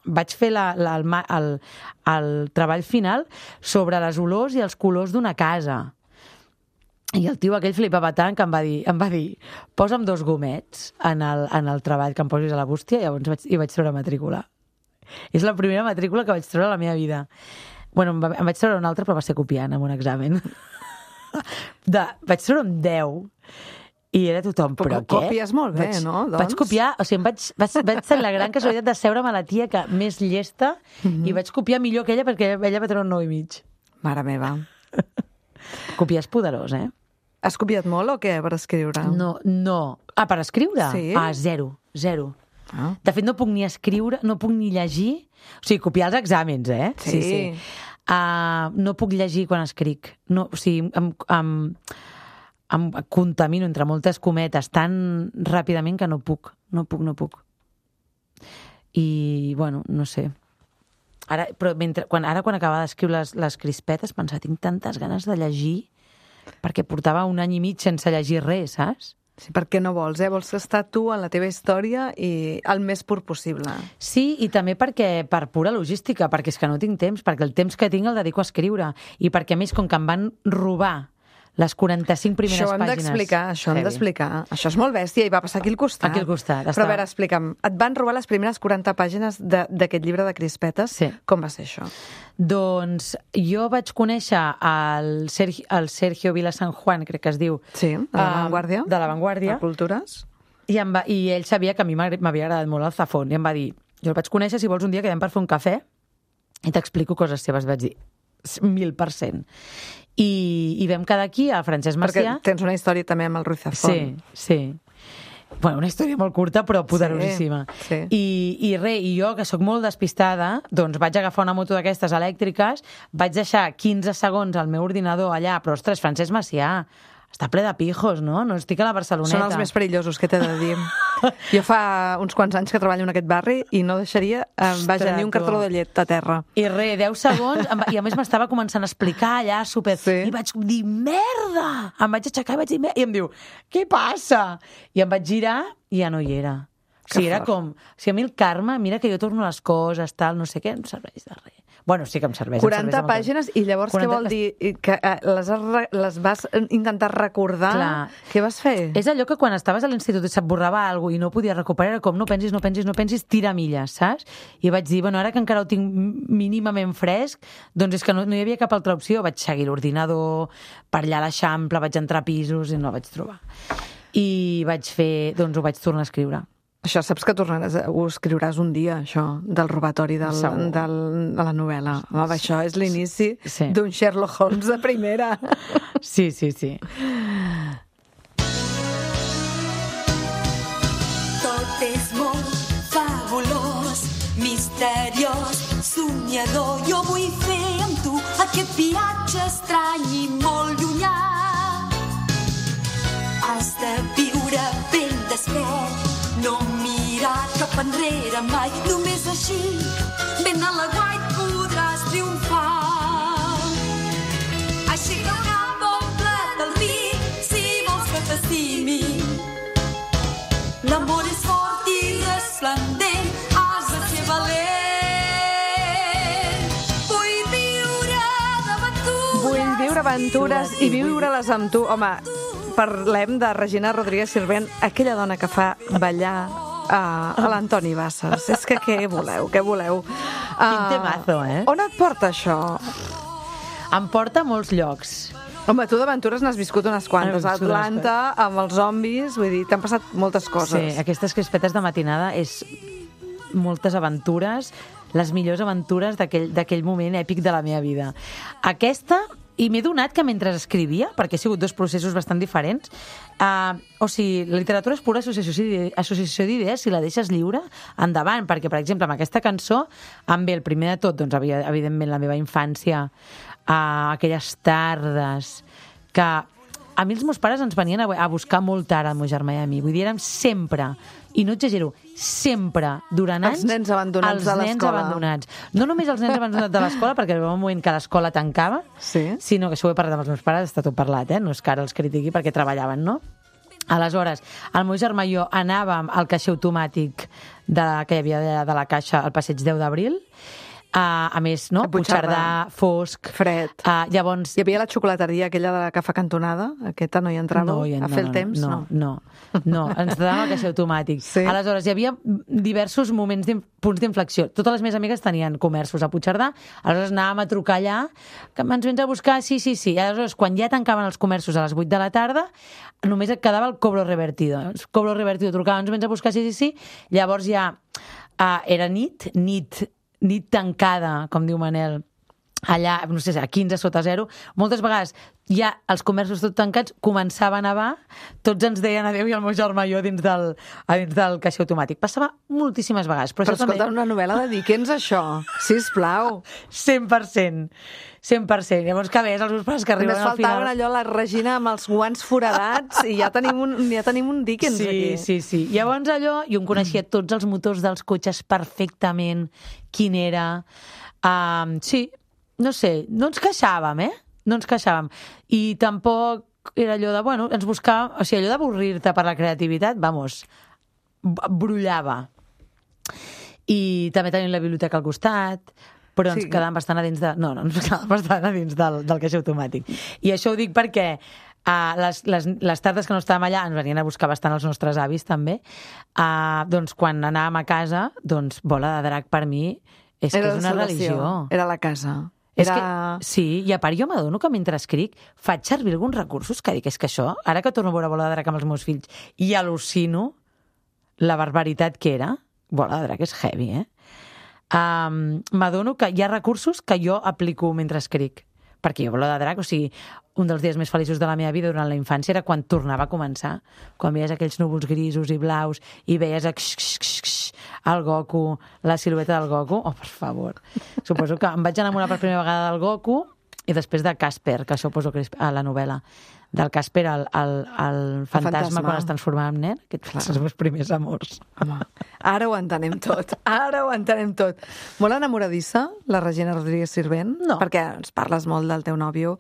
vaig fer la, la, el, el, el treball final sobre les olors i els colors d'una casa. I el tio aquell flipava tant que em va dir, em va dir posa'm dos gomets en el, en el treball que em posis a la bústia, i llavors vaig, i vaig treure matrícula. És la primera matrícula que vaig treure a la meva vida. Bueno, em, va, em vaig treure una altra, però va ser copiant en un examen. De, vaig treure un deu. I era tothom, però, però què? Copies molt bé, vaig, no? Doncs... Vaig copiar, o sigui, em vaig, vaig, vaig tenir la gran casualitat de seure-me a la tia que més llesta mm-hmm. i vaig copiar millor que ella perquè ella va treure un nou i mig. Mare meva. Copiar és poderós, eh? Has copiat molt o què per escriure? No, no. Ah, per escriure? Sí? Ah, zero, zero. Ah. De fet, no puc ni escriure, no puc ni llegir. O sigui, copiar els exàmens, eh? Sí. sí, sí. Uh, no puc llegir quan escric. No, o sigui, em, em, em contamino entre moltes cometes tan ràpidament que no puc, no puc, no puc. I, bueno, no sé. Ara, però mentre, quan, ara quan acabava d'escriure les, les crispetes, pensava, tinc tantes ganes de llegir perquè portava un any i mig sense llegir res, saps? Sí, perquè no vols, eh? Vols estar tu en la teva història i el més pur possible. Sí, i també perquè per pura logística, perquè és que no tinc temps, perquè el temps que tinc el dedico a escriure, i perquè a més, com que em van robar les quaranta-cinc primeres això hem pàgines... d'explicar, això hem d'explicar. Això és molt bèstia i va passar aquí al costat. Aquí al costat. Però a veure, explica'm, et van robar les primeres quaranta pàgines d'aquest llibre de crispetes? Sí. Com va ser això? Doncs jo vaig conèixer el Sergio, el Sergio Vila San Juan, crec que es diu. Sí, de La Vanguardia. Uh, de La Vanguardia. De Cultures. I, em va, I ell sabia que a mi m'havia agradat molt el Zafón, i em va dir, jo el vaig conèixer, si vols un dia quedem per fer un cafè i t'explico coses seves. Vaig dir, mil per cent. I, i vam quedar aquí a Francesc Macià. Perquè tens una història també amb el Ruiz Zafón. Sí, sí. Bueno, una història molt curta, però poderosíssima. Sí, sí. I, i res, i jo, que sóc molt despistada, doncs vaig agafar una moto d'aquestes elèctriques, vaig deixar quinze segons al meu ordinador allà, però, ostres, Francesc Macià, està ple de pijos, no? No estic a la Barceloneta. Són els més perillosos, què t'he de dir? Jo fa uns quants anys que treballo en aquest barri i no deixaria, eh, vaja, ni un cartró de llet a terra. I res, deu segons, i a més m'estava començant a explicar allà, super... Sí. I vaig dir, merda! Em vaig aixecar i vaig dir, merda! I em diu, què passa? I em vaig girar i ja no hi era. O sigui, era com... O sigui, a mi el karma, mira que jo torno les coses, tal, no sé què, no serveix de res. Bueno, sí que em serveix. quaranta em serveix pàgines, i llavors quaranta... què vol dir? Que les, has, les vas intentar recordar? Clar. Què vas fer? És allò que quan estaves a l'institut et borrava alguna cosa i no podies recuperar, era com no pensis, no pensis, no pensis, tira milles, saps? I vaig dir, bueno, ara que encara ho tinc mínimament fresc, doncs és que no, no hi havia cap altra opció. Vaig seguir l'ordinador, per allà a l'Eixample, vaig entrar a pisos i no el vaig trobar. I vaig fer, doncs ho vaig tornar a escriure. Això saps que tornaràs, ho escriuràs un dia, això, del robatori del, del, de la novel·la. Home, això és l'inici sí. d'un Sherlock Holmes de primera. Sí, sí, sí. Tot és molt fabulós, misteriós, somiador. Jo vull fer amb tu aquest viatge estrany i molt llunyà. Has de viure ben despert, no mirar cap enrere mai. Només així, ben a la guait, podràs triomfar. Aixeca el cap, omple't el ric, si vols que t'estimi. L'amor és fort i resplendent, has de ser valent. Vull viure d'aventures. Vull viure aventures i viure-les amb tu. Home, parlem de Regina Rodríguez Sirvent, aquella dona que fa ballar uh, a l'Antoni Bassas. És que què voleu, què voleu? Uh, Quin temazo, eh? On et porta això? Em porta a molts llocs. Home, tu d'aventures n'has viscut unes quantes. A Atlanta, amb els zombis, vull dir, t'han passat moltes coses. Sí, aquestes crispetes de matinada és moltes aventures, les millors aventures d'aquell moment èpic de la meva vida. Aquesta... I m'he donat que mentre escrivia, perquè ha sigut dos processos bastant diferents, uh, o sigui, la literatura és pura associació d'idees, si la deixes lliure, endavant, perquè, per exemple, amb aquesta cançó em ve el primer de tot, doncs, evidentment, la meva infància, uh, aquelles tardes que a mi els meus pares ens venien a buscar molt tard, el meu germà i a mi. Vull dir, érem sempre, i no exagero, sempre, durant anys... Els nens abandonats de l'escola. Els nens abandonats. No només els nens abandonats de l'escola, perquè hi va un moment que l'escola tancava, sí. sinó que això ho he parlat amb els meus pares, està tot parlat, eh? No és que ara els critiqui perquè treballaven, no? Aleshores, el meu germà i jo anàvem al caixer automàtic de, que hi havia de, de la caixa al passeig deu d'abril, Uh, a més, no? Puigcerdà, fosc... Fred. Uh, llavors... Hi havia la xocolateria aquella de la cafè cantonada? Aquesta no hi entrava no, ja, a no, fer el no, temps? No, no, no, no. Ens quedàvem al caixer automàtic. Sí. Aleshores, hi havia diversos moments, punts d'inflexió. Totes les meves amigues tenien comerços a Puigcerdà, aleshores anàvem a trucar allà, que ens vens a buscar, sí, sí, sí. I aleshores, quan ja tancaven els comerços a les vuit de la tarda, només et quedava el cobro revertido. El cobro revertido, trucava, ens vens a buscar, sí, sí, sí. Llavors ja uh, era nit, nit... nit tancada, com diu Manel, allà, no sé, a quinze sota zero, moltes vegades ja els comerços tot tancats, començava a nevar, tots ens deien adéu i el meu germà i jo dins del, dins del caixer automàtic. Passava moltíssimes vegades. Però, però escolta, també... una novel·la de Dickens, això, sisplau. cent per cent. cent per cent. Llavors, que ves, els meus pares que arriben al final... Només faltaven allò, la Regina amb els guants foradats i ja tenim un, ja tenim un Dickens sí, aquí. Sí, sí, sí. Llavors allò, jo em coneixia tots els motors dels cotxes perfectament, quin era... Um, sí, no sé, no ens queixàvem, eh? No ens queixàvem. I tampoc era allò de, bueno, ens buscàvem... O sigui, allò d'avorrir-te per la creativitat, vamos, brollava. I també tenim la biblioteca al costat... però ens sí. quedàvem bastant a dins de... No, no, ens quedàvem bastant a dins del, del caixer automàtic. I això ho dic perquè uh, les, les, les tardes que no estàvem allà ens venien a buscar bastant els nostres avis, també. Uh, doncs quan anàvem a casa, doncs Bola de Drac per mi és Era que és una religió. Era la casa. És Era... que, sí, i a part jo m'adono que mentre escric faig servir alguns recursos que dic, és que això, ara que torno a veure Bola de Drac amb els meus fills i al·lucino la barbaritat que era, Bola de Drac és heavy, eh? Um, m'adono que hi ha recursos que jo aplico mentre escric, perquè jo Bola de Drac, o sigui, un dels dies més feliços de la meva vida durant la infància era quan tornava a començar, quan veies aquells núvols grisos i blaus i veies a xx, xx, xx, el Goku, la silueta del Goku. Oh, per favor. Suposo que em vaig enamorar per primera vegada del Goku i després de Casper, que això ho poso a la novel·la, del Casper, el, el, el fantasma, fantasma quan es transformava en nen, aquests són els meus primers amors. Home, ara ho entenem tot, ara ho entenem tot. Molt enamoradissa, la Regina Rodríguez Sirvent? No. Perquè ens parles molt del teu nòvio,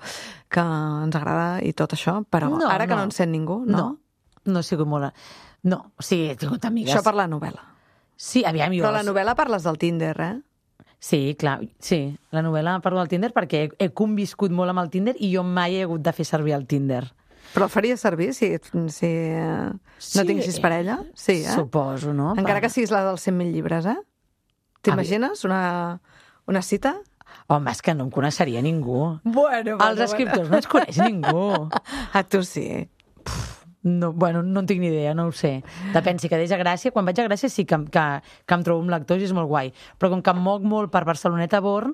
que ens agrada i tot això, però no, ara que no. no en sent ningú, no? No, no he sigut molt... No, o sigui, he tingut amigues... Això per la novel·la. Sí, aviam, jo... Però la novel·la parles del Tinder, eh? Sí, clar, sí. La novel·la parlo del Tinder perquè he, he conviscut molt amb el Tinder i jo mai he hagut de fer servir el Tinder. Però el faries servir si, si eh, Sí. no tinguessis parella? Sí, eh? Suposo, no? Encara Va. que siguis la dels cent mil llibres, eh? T'imagines una, una cita? Home, és que no em coneixeria ningú. Bueno, Els escriptors no ens coneix ningú. A tu sí. No, bueno, no en tinc ni idea, no ho sé. Depèn, si quedés a Gràcia, quan vaig a Gràcia sí que, que, que em trobo amb lectors i és molt guai. Però com que em moc molt per Barceloneta, Born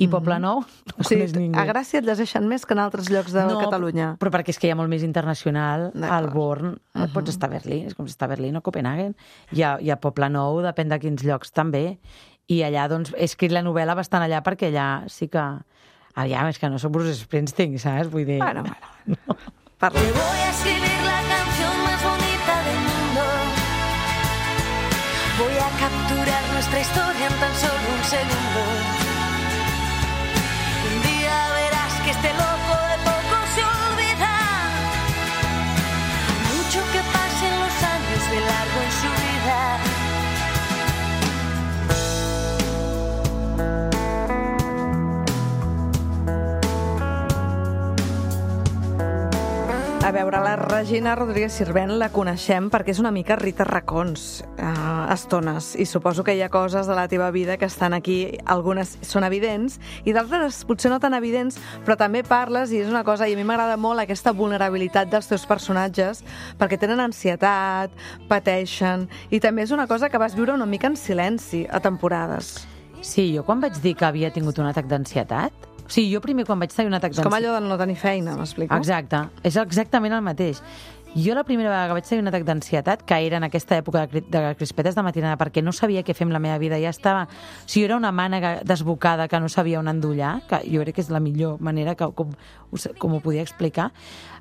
i Poblenou, no O sigui, coneix ningú. a Gràcia et llegeixen més que en altres llocs de no, Catalunya. Però perquè és que hi ha molt més internacional D'acord. al Born. Uh -huh. Pots estar a Berlín, és com si estar a Berlín o Copenhagen. Hi ha, hi ha Poblenou, depèn de quins llocs també. I allà, doncs, he escrit la novel·la bastant allà perquè allà sí que... Aviam, és que no sóc Bruce Springsteen, saps? Vull dir... Bueno, bueno. No. Parla. Te voy a escribir la canción más bonita del mundo. Voy a capturar nuestra historia en tan solo un segundo. Un día verás que este loco de poco se olvida. Mucho que pasen los años de largo en su vida. A veure, la Regina Rodríguez Sirvent la coneixem perquè és una mica Rita Racons, a estones, i suposo que hi ha coses de la teva vida que estan aquí, algunes són evidents, i d'altres potser no tan evidents, però també parles, i és una cosa, i a mi m'agrada molt aquesta vulnerabilitat dels teus personatges, perquè tenen ansietat, pateixen, i també és una cosa que vas viure una mica en silenci a temporades. Sí, jo quan vaig dir que havia tingut un atac d'ansietat... O sigui, jo primer quan vaig tenir un atac És d'ansietat... com allò de no tenir feina, m'explico? Exacte, és exactament el mateix. Jo la primera vegada que vaig tenir un atac d'ansietat, que era en aquesta època de, de crispetes de matinada, perquè no sabia què fer amb la meva vida, ja estava... O sigui, era una mànega desbocada que no sabia on endollar, que jo crec que és la millor manera que, com, com ho podia explicar.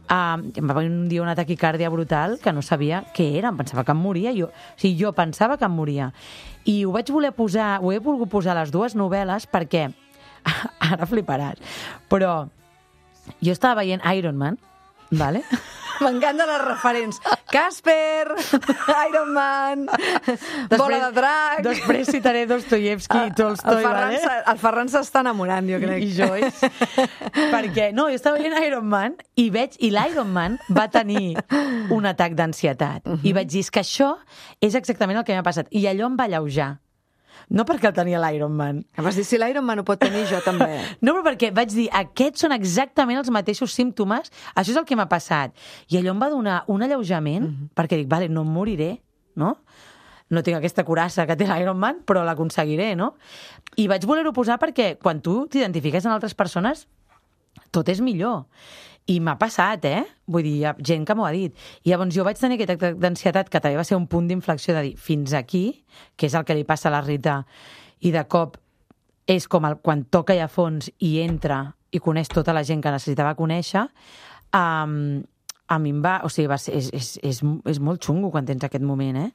Uh, em va venir un dia una taquicàrdia brutal que no sabia què era, em pensava que em moria. Jo, o sigui, jo pensava que em moria. I ho vaig voler posar, ho he volgut posar a les dues novel·les perquè... Ara fliparàs. Però jo estava veient Iron Man, vale? M'encanten els referents. Casper, Iron Man, Bola de Drac... Després citaré Dostoyevsky i Tolstoi, el Ferran, vale? se- el Ferran s'està enamorant, jo crec. I, i Joyce. Perquè, no, jo estava veient Iron Man i veig, i l'Iron Man va tenir un atac d'ansietat. Uh -huh. I vaig dir, és que això és exactament el que m'ha passat. I allò em va alleujar. No perquè el tenia l'Iron Man. Em vas dir, si l'Iron Man ho pot tenir, jo també. No, però perquè vaig dir, aquests són exactament els mateixos símptomes, això és el que m'ha passat. I allò em va donar un alleujament, mm -hmm. perquè dic, vale, no em moriré, no? No tinc aquesta curassa que té l'Iron Man, però l'aconseguiré, no? I vaig voler-ho posar perquè quan tu t'identifiques en altres persones, tot és millor. I m'ha passat, eh? Vull dir, hi ha gent que m'ho ha dit. I llavors jo vaig tenir aquest atac d'ansietat que també va ser un punt d'inflexió de dir fins aquí, que és el que li passa a la Rita, i de cop és com el, quan toca ja a fons i entra i coneix tota la gent que necessitava conèixer, um, a mi em va... O sigui, va ser, és, és, és, és molt xungo quan tens aquest moment, eh?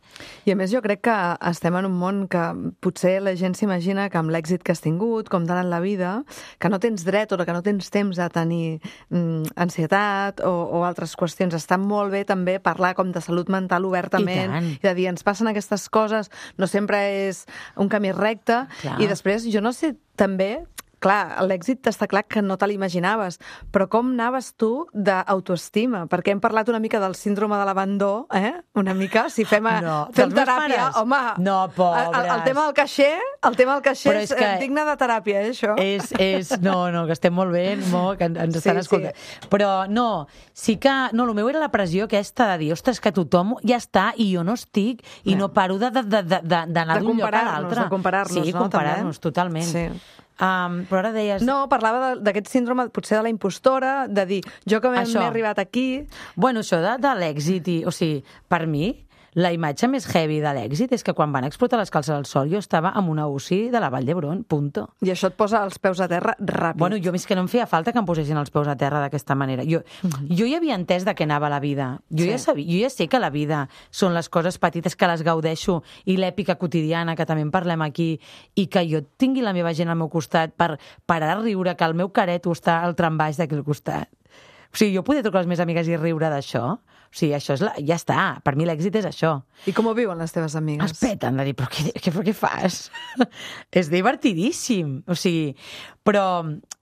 I a més jo crec que estem en un món que potser la gent s'imagina que amb l'èxit que has tingut, com tant en la vida, que no tens dret o que no tens temps a tenir mm, ansietat o, o altres qüestions. Està molt bé també parlar com de salut mental obertament I tant. i de dir, ens passen aquestes coses, no sempre és un camí recte. Clar. I després, jo no sé, també... Clar, l'èxit està clar que no te l'imaginaves, però com anaves tu d'autoestima? Perquè hem parlat una mica del síndrome de l'abandó, eh? Una mica, si fem, a, No, fem dels meus teràpia, pares? home... No, pobres. El, el tema del caixer, el tema del caixer Però és, és que- és digne de teràpia, eh, això? És, és, no, no, que estem molt bé, molt, que ens estan Sí, escoltant. Però no, sí que... No, el meu era la pressió aquesta de dir, ostres, que tothom ja està i jo no estic i Ja. no paro de- de- de- de- de- d'anar De d'un lloc a comparar-nos, l'altre. de comparar-nos, sí, no, comparar-nos, també? totalment. Sí. Um, però ara deies... No, parlava de- d'aquest síndrome, potser de la impostora, de dir, jo que m'he Això. m'he arribat aquí... Bueno, això de, de l'èxit, i, o sigui, per mi, la imatge més heavy de l'èxit és que quan van explotar les calces al sol jo estava amb una U C I de la Vall d'Hebron, punto. I això et posa els peus a terra ràpid. Bueno, jo més que no em feia falta que em posessin els peus a terra d'aquesta manera. Jo, jo ja havia entès de què anava la vida. Jo, Sí. ja sabia, jo ja sé que la vida són les coses petites que les gaudeixo i l'èpica quotidiana, que també en parlem aquí, i que jo tingui la meva gent al meu costat per parar a riure, que el meu careto està al trambaix d'aquí al costat. O sigui, jo poder trucar a les meves amigues i riure d'això, o sigui, això és la... ja està, per mi l'èxit és això. I com ho viuen les teves amigues? Es peten de dir, però què, què, però què fas? És divertidíssim, o sigui... Però,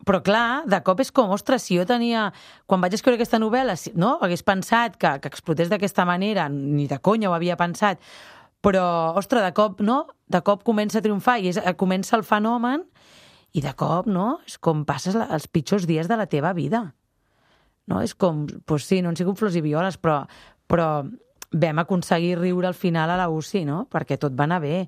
però clar, de cop és com, ostres, si jo tenia... Quan vaig escriure aquesta novel·la, no? Hagués pensat que, que explotés d'aquesta manera, ni de conya ho havia pensat, però, ostres, de cop, no? De cop comença a triomfar i és, comença el fenomen i de cop, no? És com passes la, els pitjors dies de la teva vida. No? És com, doncs sí, no han sigut flors i violes, però, però vam aconseguir riure al final a la U C I, no? Perquè tot va anar bé.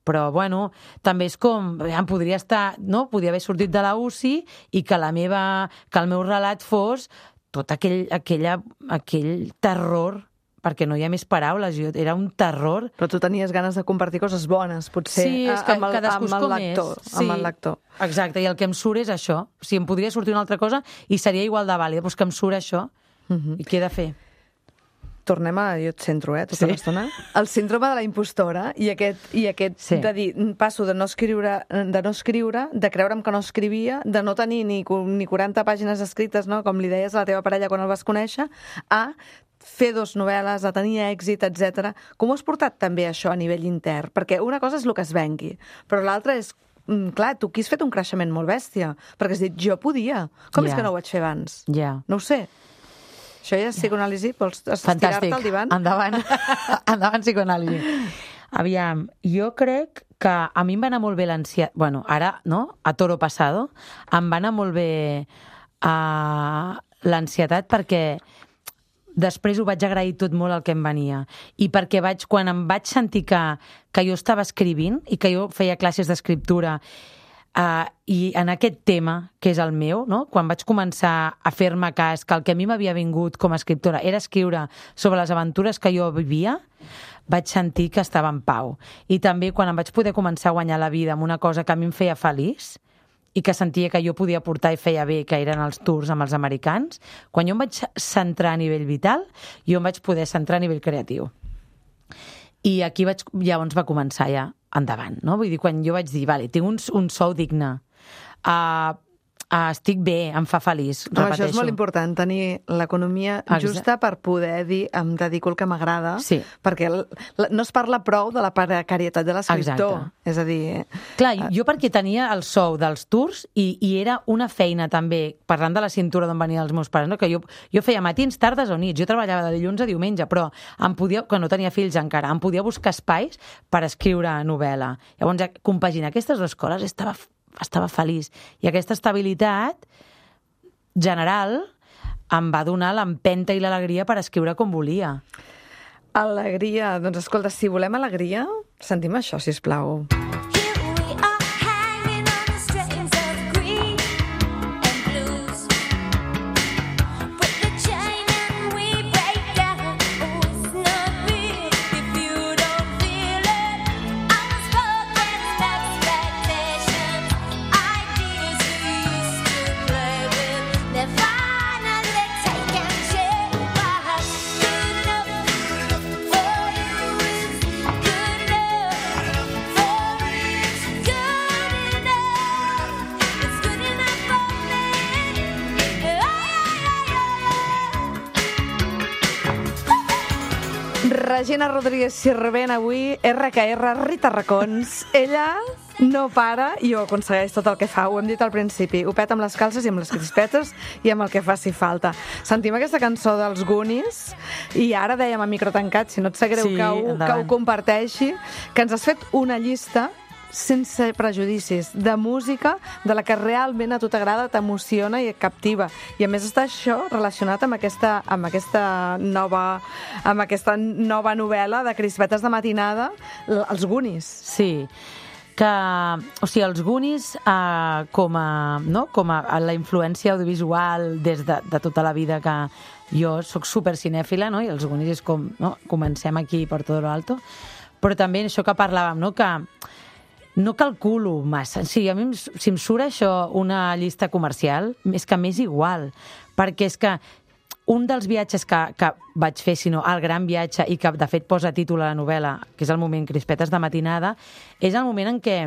Però, bueno, també és com, em podria estar, no? Podia haver sortit de la U C I i que, la meva, que el meu relat fos tot aquell, aquella, aquell terror, perquè no hi ha més paraules, jo, era un terror. Però tu tenies ganes de compartir coses bones, potser, sí, és que amb, el, amb, el lector, sí, amb el lector. Exacte, i el que em surt és això. O sigui, em podria sortir una altra cosa i seria igual de vàlida, però és que em surt això. Uh-huh. I què he de fer? Tornem a... Jo et centro, eh, tota sí. l'estona. El síndrome de la impostora i aquest, i aquest sí. de dir, passo de no escriure, de no escriure, de creure'm que no escrivia, de no tenir ni, ni quaranta pàgines escrites, no? Com li deies a la teva parella quan el vas conèixer, a fer dos novel·les, a tenir èxit, etcètera. Com ho has portat també això a nivell intern? Perquè una cosa és el que es vengui, però l'altra és, clar, tu aquí has fet un creixement molt bèstia, perquè has dit, jo podia. Com yeah. és que no ho vaig fer abans? Yeah. No ho sé. Això ja és psicoanàlisi? Vols estirar-te al divan? Endavant. Endavant, psicoanàlisi. Aviam, jo crec que a mi em va anar molt bé l'ansietat... Bueno, ara, no?, a toro pasado, em va anar molt bé uh, l'ansietat perquè després ho vaig agrair tot molt el que em venia. I perquè vaig, quan em vaig sentir que, que jo estava escrivint i que jo feia classes d'escriptura uh, i en aquest tema, que és el meu, no? Quan vaig començar a fer-me cas que el que a mi m'havia vingut com a escriptora era escriure sobre les aventures que jo vivia, vaig sentir que estava en pau. I també quan em vaig poder començar a guanyar la vida amb una cosa que a mi em feia feliç, i que sentia que jo podia portar i feia bé, que eren els tours amb els americans, quan jo em vaig centrar a nivell vital, jo em vaig poder centrar a nivell creatiu. I aquí vaig, llavors va començar ja endavant, no? Vull dir, quan jo vaig dir, vale, tinc un, un sou digne, uh, uh, estic bé, em fa feliç, no, repeteixo. Això és molt important, tenir l'economia justa per poder dir em dedico al que m'agrada, sí. perquè el, no es parla prou de la precarietat de l'escriptor. És a dir... Clar, jo perquè tenia el sou dels tours i, i era una feina també, parlant de la cintura d'on venien els meus pares, no? Que jo, jo feia matins, tardes o nits, jo treballava de dilluns a diumenge, però em podia, quan no tenia fills encara, em podia buscar espais per escriure novel·la. Llavors, compaginar aquestes dues coses estava, estava feliç. I aquesta estabilitat general em va donar l'empenta i l'alegria per escriure com volia. Alegria. Doncs escolta, si volem alegria, sentim això, sisplau. Regina Rodríguez Sirvent avui, erre que erre, Rita Racons. Ella no para i ho aconsegueix tot el que fa. Ho hem dit al principi. Ho peta amb les calces i amb les crispetes i amb el que faci falta. Sentim aquesta cançó dels Goonies i ara dèiem a micro tancat, si no et sap greu sí, que, ho, que ho comparteixi, que ens has fet una llista sense prejudicis, de música de la que realment a tu t'agrada, t'emociona i et captiva. I a més està això relacionat amb aquesta, amb aquesta nova amb aquesta nova novel·la de crispetes de matinada, els Goonies. Sí, que, o sigui, els Goonies eh, com a, no? com a la influència audiovisual des de, de tota la vida que jo sóc super cinèfila, no? I els Goonies és com, no? Comencem aquí per tot lo alto, però també això que parlàvem, no? Que no calculo massa. Sí, a mi, si em surt això una llista comercial, és que m'és igual, perquè és que un dels viatges que, que vaig fer, sinó el gran viatge, i que de fet posa títol a la novel·la, que és el moment Crispetes de matinada, és el moment en què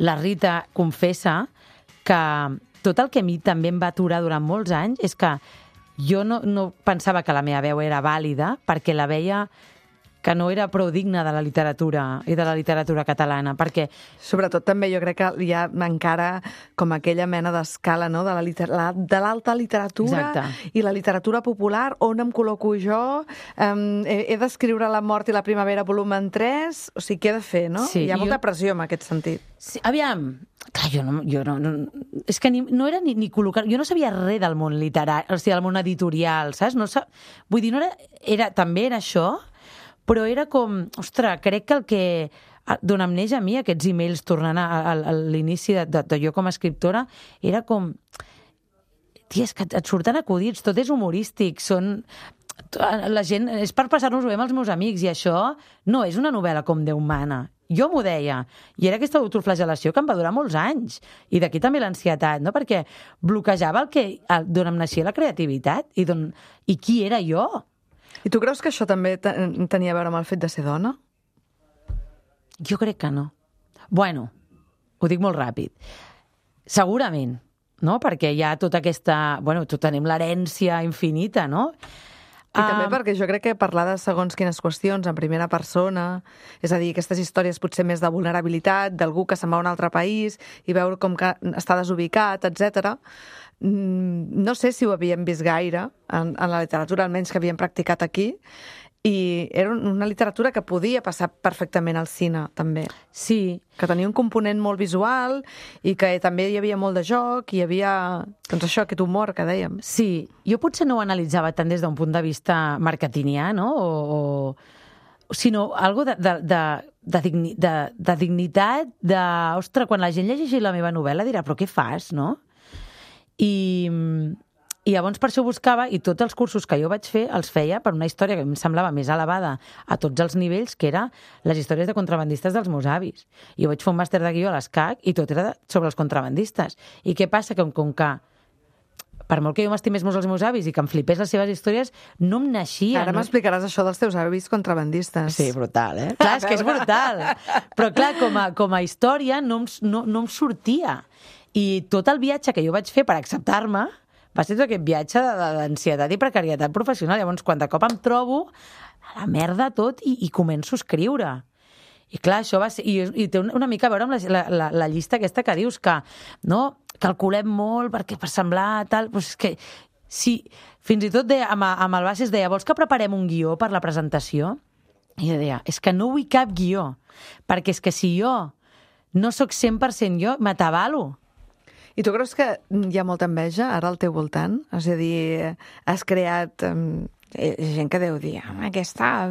la Rita confessa que tot el que a mi també em va aturar durant molts anys és que jo no, no pensava que la meva veu era vàlida perquè la veia que no era prou digna de la literatura i de la literatura catalana, perquè... Sobretot també jo crec que hi ha encara com aquella mena d'escala, no?, de la liter... de l'alta literatura. Exacte. I la literatura popular, on em col·loco jo, um, he, he d'escriure La mort i la primavera volumen tres, o sigui, què he de fer, no? Sí, hi ha molta jo... pressió en aquest sentit. Sí, aviam, clar, jo no... Jo no, no és que ni, no era ni, ni col·locar... Jo no sabia res del món literari, o sigui, del món editorial, saps? No sab... Vull dir, no era, era... també era això, però era com, ostres, crec que el que d'on em neix a mi aquests emails tornant a, a, a l'inici de, de, de jo com a escriptora, era com, tia, és que et surten acudits, tot és humorístic, són... La gent, és per passar-nos-ho bé amb els meus amics, i això no és una novel·la com Déu mana. Jo m'ho deia, i era aquesta autoflagel·lació que em va durar molts anys, i d'aquí també l'ansietat, no? Perquè bloquejava el que, d'on em naixia la creativitat, i, don, i qui era jo. I tu creus que això també tenia a veure amb el fet de ser dona? Jo crec que no. Bueno, ho dic molt ràpid. Segurament, no? Perquè hi ha tota aquesta... Bueno, tot tenim l'herència infinita, no? I també perquè jo crec que parlar de segons quines qüestions en primera persona, és a dir, aquestes històries potser més de vulnerabilitat, d'algú que se'n va a un altre país i veure com que està desubicat, etcètera, no sé si ho havíem vist gaire en, en la literatura, almenys que havíem practicat aquí, i era una literatura que podia passar perfectament al cine, també. Sí. Que tenia un component molt visual i que també hi havia molt de joc, i hi havia, doncs això, aquest humor que dèiem. Sí, jo potser no ho analitzava tant des d'un punt de vista marketingià, no?, o, o sinó algo de, de, de, de, digni, de, de dignitat, de... Ostres, quan la gent llegeixi la meva novel·la dirà, però què fas, no? I, i llavors per això buscava, i tots els cursos que jo vaig fer els feia per una història que em semblava més elevada a tots els nivells, que era les històries de contrabandistes dels meus avis. I jo vaig fer un màster de guió a l'ESCAC i tot era sobre els contrabandistes. I què passa? Que com que per molt que jo m'estimés molt els meus avis i que em flipés les seves històries, no em naixia. Ara no... m'explicaràs això dels teus avis contrabandistes. Sí, brutal, eh? Clar, és que és brutal. Però clar, com a, com a història no em, no, no em sortia. I tot el viatge que jo vaig fer per acceptar-me va ser tot aquest viatge d'ansietat i precarietat professional. Llavors, quan de cop em trobo a la merda tot i, i començo a escriure. I clar, això va ser... I, i té una, una mica a veure amb la, la, la llista aquesta que dius que, no, calculem molt perquè per semblar tal... Però és que, si, fins i tot de, amb, amb el Bases deia, vols que preparem un guió per la presentació? I jo deia, és que no vull cap guió, perquè és que si jo no sóc cent per cent jo, m'atabalo. I tu creus que hi ha molta enveja ara al teu voltant? És a dir, has creat... Um, gent que deu dir, aquesta,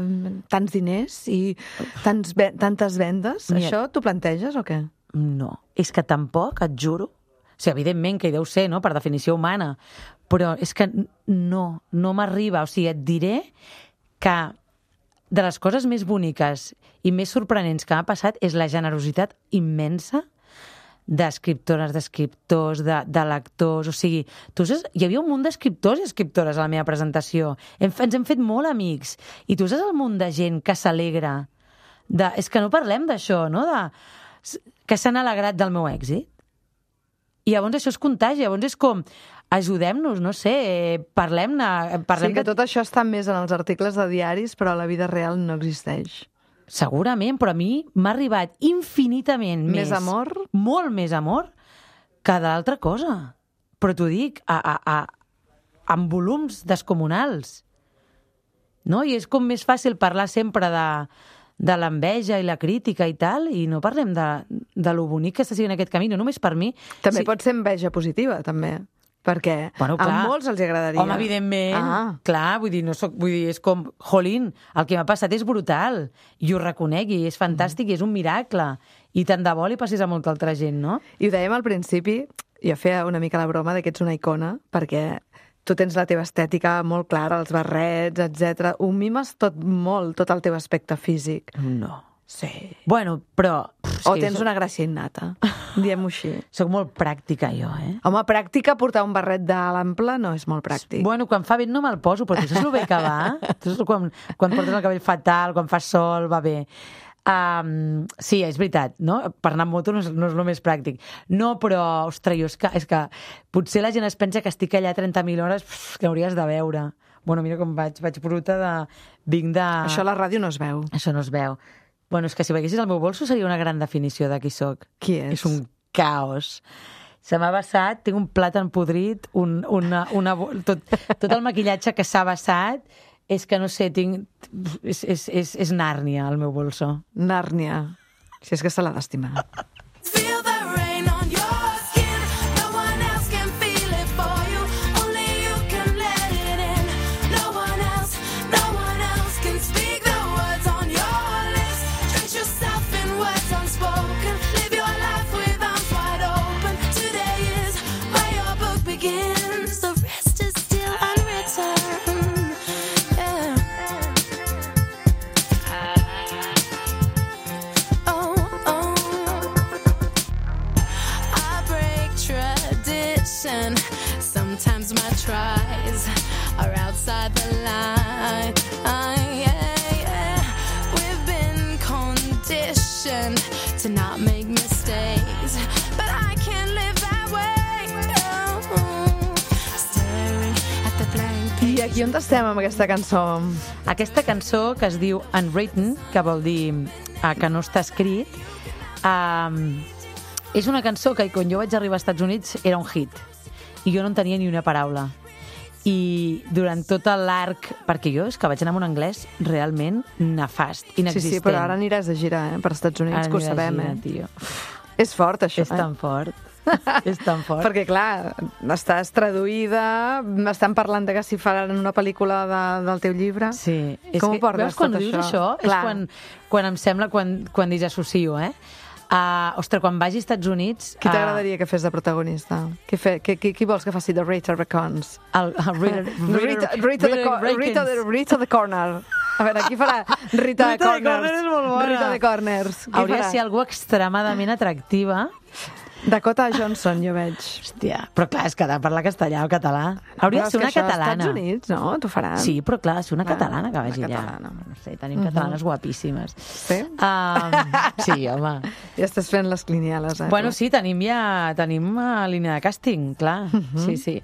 tants diners i tants, tantes vendes, Mira, això t'ho planteges o què? No, és que tampoc, et juro. O sigui, evidentment que hi deu ser, no?, per definició humana, però és que no, no m'arriba. O sigui, et diré que de les coses més boniques i més sorprenents que m'ha passat és la generositat immensa d'escriptores, d'escriptors, de, de lectors, o sigui, tu saps, hi havia un munt d'escriptors i escriptores a la meva presentació. Hem, ens hem fet molt amics. I tu saps el munt de gent que s'alegra? De, és que no parlem d'això, no? De, que s'han alegrat del meu èxit. I llavors això es contagi, llavors és com, ajudem-nos, no sé, parlem-ne... Parlem sí, que de... tot això està més en els articles de diaris, però a la vida real no existeix. Segurament, però a mi m'ha arribat infinitament més... Més amor? Molt més amor que d'altra cosa. Però t'ho dic, a, a, a, amb volums descomunals. No? I és com més fàcil parlar sempre de, de l'enveja i la crítica i tal, i no parlem de, de lo bonic que està sent aquest camí, no només per mi. També sí. pot ser enveja positiva, també. Perquè bueno, clar, a molts els agradaria. Home, evidentment, ah. clar, vull dir, no soc, vull dir, és com, jolín, el que m'ha passat és brutal, i ho reconec, i és fantàstic, mm. i és un miracle, i tant de bo li passis a molta altra gent, no? I ho dèiem al principi, jo feia una mica la broma de que ets una icona, perquè tu tens la teva estètica molt clara, els barrets, etcètera. Ho mimes tot molt, tot el teu aspecte físic. No. Sí. Bueno, però... O tens soc... una gràcia innata, diem-ho així. Soc molt pràctica, jo, eh? Home, pràctica, portar un barret de l'ample no és molt pràctic. Bueno, quan fa vent no me'l poso, però tu saps el bé que va? Tu saps quan, quan portes el cabell fatal, quan fa sol, va bé. Um, sí, és veritat, no? Per anar amb moto no és, no és el més pràctic. No, però, ostres, jo és que, és que potser la gent es pensa que estic allà trenta mil hores, pff, que hauries de veure. Bueno, mira com vaig, vaig bruta de... Vinc de... Això a la ràdio no es veu. Això no es veu. Bueno, és que si veiessis el meu bolso seria una gran definició de qui soc. Qui és? És un caos. Se m'ha vessat, tinc un plàtan podrit, un, una, una, tot, tot el maquillatge que s'ha vessat, és que no sé, tinc... És, és, és, és Nàrnia, el meu bolso. Nàrnia. Si és que se l'ha d'estimar. Sometimes my tries are outside the line. Uh, yeah, yeah. We've been conditioned to not make mistakes, but I can't live that way. No. Staring at the blank page. I aquí on estem amb aquesta cançó? Aquesta cançó que es diu Unwritten, que vol dir uh, que no està escrit, um, és una cançó que quan jo vaig arribar als Estats Units era un hit. I jo no en tenia ni una paraula. I durant tot l'arc... Perquè jo és que vaig anar amb un anglès realment nefast, inexistent. Sí, sí, però ara aniràs a girar, eh, per Estats Units, ara que ho sabem, girar, eh? Tio. És fort, això, és eh? tan fort. És tan fort. Perquè, clar, estàs traduïda, estan parlant de que si faran una pel·lícula de, del teu llibre. Sí. Com ho portes, veus, quan tot dius això? això és quan, quan em sembla, quan, quan disassocio, eh? Uh, ostres, quan vagi als Estats Units... Qui t'agradaria uh, que fes de protagonista? Qui, fe, qui, qui, qui vols que faci de Rita Raccoons? El, el Rita, Rita, Rita, Rita, the, Rita, the, Rita the Corner. A veure, qui farà Rita, Rita de Corners? de Corner és molt bona. Rita de Corners. Qui Hauria farà? de ser algú extremadament atractiva. Dakota Johnson, jo veig. Hòstia, però clar, és que ha de parlar castellà o català. Hauria de ser una catalana. Als Estats Units, no? T'ho faran. Sí, però clar, ser una Va, catalana que vagi allà. catalana. No sé, tenim uh -huh. catalanes guapíssimes. Sí? Um, sí, home. Ja estàs fent les cliniales, eh? Bueno, sí, tenim ja tenim una línia de càsting, clar. Uh -huh. Sí, sí.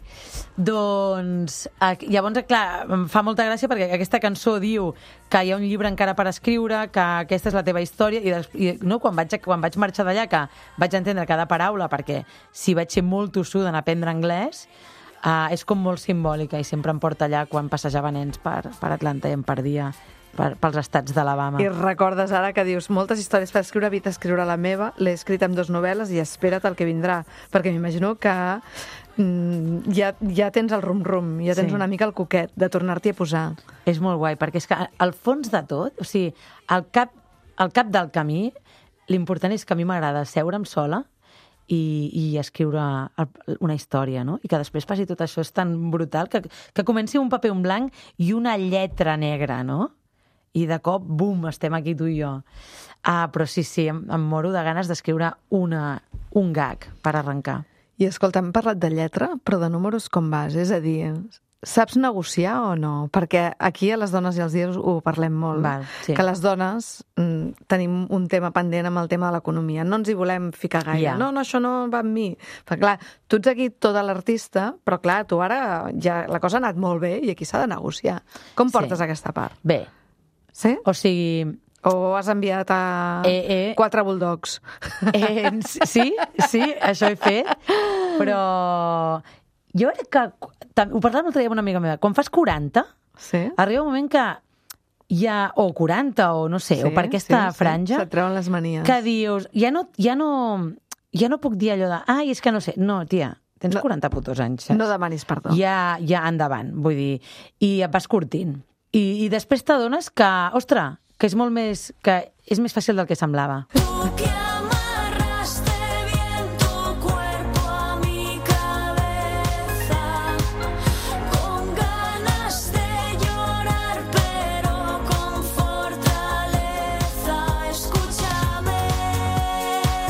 Doncs, llavors, clar, em fa molta gràcia perquè aquesta cançó diu que hi ha un llibre encara per escriure, que aquesta és la teva història, i, des, i no, quan vaig, quan vaig marxar d'allà, que vaig entendre cada paraula, perquè si vaig ser molt tossuda en aprendre anglès, uh, és com molt simbòlica, i sempre em porta allà quan passejava nens per, per Atlanta i em perdia per, pels estats d'Alabama. I recordes ara que dius moltes històries per escriure, havia d'escriure la meva, l'he escrit amb dues novel·les i espera't el que vindrà, perquè m'imagino que mm, ja, ja tens el rum-rum, ja tens Sí. una mica el coquet de tornar-t'hi a posar. És molt guai, perquè és que al fons de tot, o sigui, al cap, al cap del camí, l'important és que a mi m'agrada seure'm sola i, i escriure una història, no? I que després passi tot això, és tan brutal, que, que comenci un paper en blanc i una lletra negra, no? I de cop, bum, estem aquí tu i jo. Ah, però sí, sí, em, em moro de ganes d'escriure una, un gag per arrencar. I escolta, hem parlat de lletra, però de números com vas? És a dir, saps negociar o no? Perquè aquí a les dones i als dies ho parlem molt. Val, sí. Que les dones mm, tenim un tema pendent amb el tema de l'economia. No ens hi volem ficar gaire. Ja. No, no, això no va amb mi. Perquè, clar, tu ets aquí tota l'artista, però, clar, tu ara ja la cosa ha anat molt bé i aquí s'ha de negociar. Com portes Sí. aquesta part? Bé, Sí? o sigui... O has enviat a Eh, eh. quatre bulldogs? Eh, sí, sí, això he fet, però jo crec que, ho parlàvem l'altre dia amb una amiga meva, quan fas quaranta, Sí? arriba un moment que hi ha, o quaranta, o no sé, o per aquesta sí, franja, Sí. Se't treuen les manies. que dius, ja no, ja no, ja no puc dir allò de, ai, és que no sé, no, tia, tens No. quaranta putos anys, saps? No demanis perdó. Ja, ja endavant, vull dir, i et vas curtint. I, i després t'adones que, ostres, que és molt més, que és més fàcil del que semblava. Tú que amarraste bien tu cuerpo a mi cabeza, con ganas de llorar pero con fortaleza. Escúchame,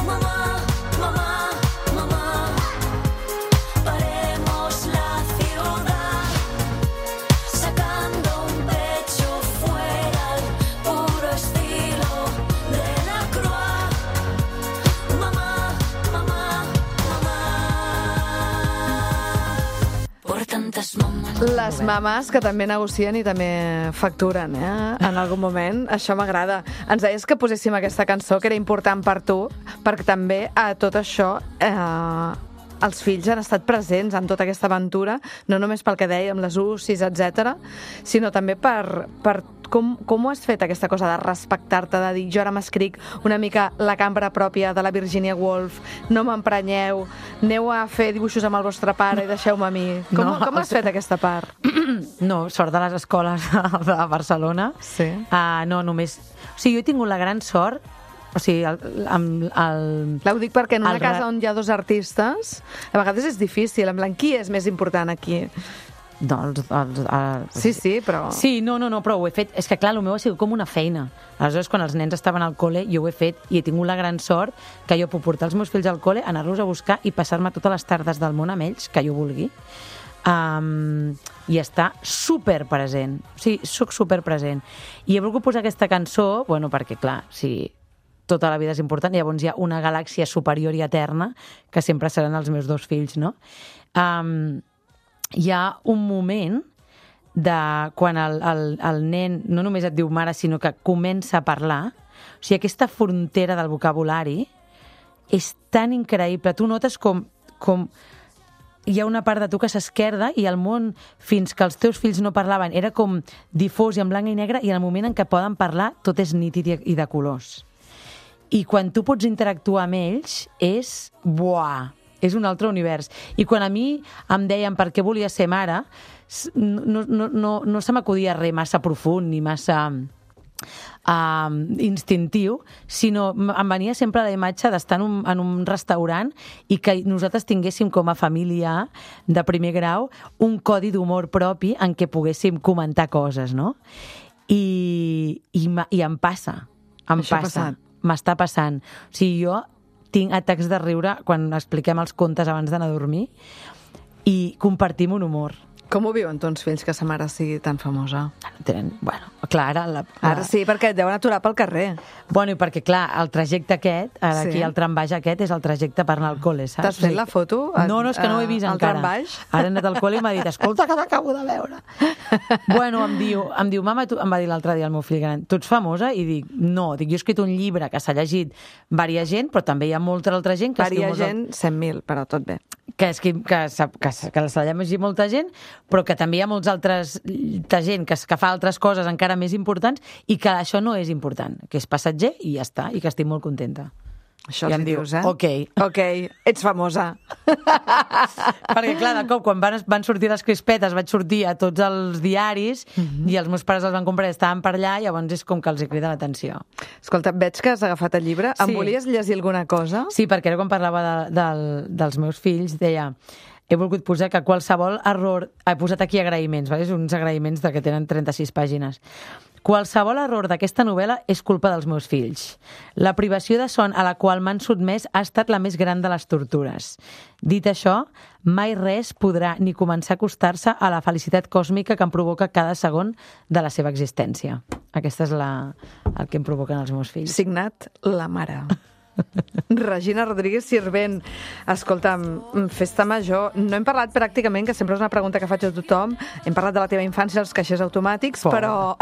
mamá, mamá, mamá, paremos la ciudad, sacando un pecho fuera al puro estilo de Les mamàs que també negocien i també facturen, eh? En algun moment. Això m'agrada. Ens deies que poséssim aquesta cançó, que era important per tu, perquè també a tot això eh, els fills han estat presents en tota aquesta aventura, no només pel que dèiem, les U C I s, etcètera, sinó també per, per com, com ho has fet, aquesta cosa de respectar-te, de dir, jo ara m'escric una mica la cambra pròpia de la Virginia Woolf, no m'emprenyeu, aneu a fer dibuixos amb el vostre pare i deixeu-me a mi. Com, No, com has fet aquesta part? No, sort de les escoles de Barcelona. Sí. Uh, no, només... O sigui, jo he tingut la gran sort, o sigui, el, amb el... Clar, ho dic perquè en una el re- casa on hi ha dos artistes, a vegades és difícil, en plan, qui és més important aquí? No, els, els, els, Sí, sí, però... Sí, no, no, no, però ho he fet... És que, clar, el meu ha sigut com una feina. Aleshores, quan els nens estaven al col·le, jo ho he fet i he tingut la gran sort que jo puc portar els meus fills al col·le, anar-los a buscar i passar-me totes les tardes del món amb ells, que jo vulgui, um, i estar superpresent. O sigui, soc superpresent. I he volgut posar aquesta cançó, bueno, perquè, clar, sí, tota la vida és important, i llavors hi ha una galàxia superior i eterna que sempre seran els meus dos fills, no? Um, hi ha un moment de quan el, el, el nen no només et diu mare, sinó que comença a parlar. O sigui, aquesta frontera del vocabulari és tan increïble. Tu notes com, com hi ha una part de tu que s'esquerda i el món, fins que els teus fills no parlaven, era com difós i en blanc i negre, i en el moment en què poden parlar tot és nítid i, i de colors. I quan tu pots interactuar amb ells és... Buah! És un altre univers. I quan a mi em deien per què volia ser mare, no, no, no, no se m'acudia res massa profund ni massa uh, instintiu, sinó em venia sempre la imatge d'estar en un, en un restaurant i que nosaltres tinguéssim com a família de primer grau un codi d'humor propi en què poguéssim comentar coses, no? I, i, i em passa. Em Això ha passa. passat. M'està passant. O sigui, jo tinc atacs de riure quan expliquem els contes abans d'anar a dormir i compartim un humor. Com ho viuen tons fills que sa mare sigui tan famosa? No tenen... Bueno, clar, ara... La, la... Ara sí, perquè et deuen aturar pel carrer. Bueno, i perquè, clar, el trajecte aquest, ara Sí. aquí el trambaix aquest, és el trajecte per anar al col·le, saps? T'has fet la foto? No, no, és que no ho he vist al encara. trambaix? Ara he anat al col·le i m'ha dit, escolta, que t'acabo de veure. Bueno, em diu, em diu mama, tu, em va dir l'altre dia el meu fill gran, tu ets famosa? I dic, no, dic, jo he escrit un llibre que s'ha llegit varia gent, però també hi ha molta altra gent que Varia escriu molts gent, cent mil, però tot bé. que, és que, que, sap- que, que se l'ha llegit molta gent, però que també hi ha molts altres de gent que, que fa altres coses encara més importants i que això no és important, que és passatger i ja està, i que estic molt contenta. Això I els em hi diu, dius, eh? ok. Ok, ets famosa. Perquè, clar, de cop, quan van, van sortir les crispetes, vaig sortir a tots els diaris Mhm. i els meus pares els van comprar i estaven per allà, i llavors és com que els hi crida l'atenció. Escolta, veig que has agafat el llibre. Em Sí. volies llegir alguna cosa? Sí, perquè ara quan parlava de, del, dels meus fills, deia... He volgut posar que qualsevol error... He posat aquí agraïments, vale? Uns agraïments de que tenen trenta-sis pàgines. Qualsevol error d'aquesta novel·la és culpa dels meus fills. La privació de son a la qual m'han sotmès ha estat la més gran de les tortures. Dit això, mai res podrà ni començar a acostar-se a la felicitat còsmica que em provoca cada segon de la seva existència. Aquesta és la, el que em provoquen els meus fills. Signat la mare. Regina Rodríguez Sirvent. Escolta'm, festa major. No hem parlat pràcticament, que sempre és una pregunta que faig a tothom, hem parlat de la teva infància, els caixers automàtics, Pobre. però,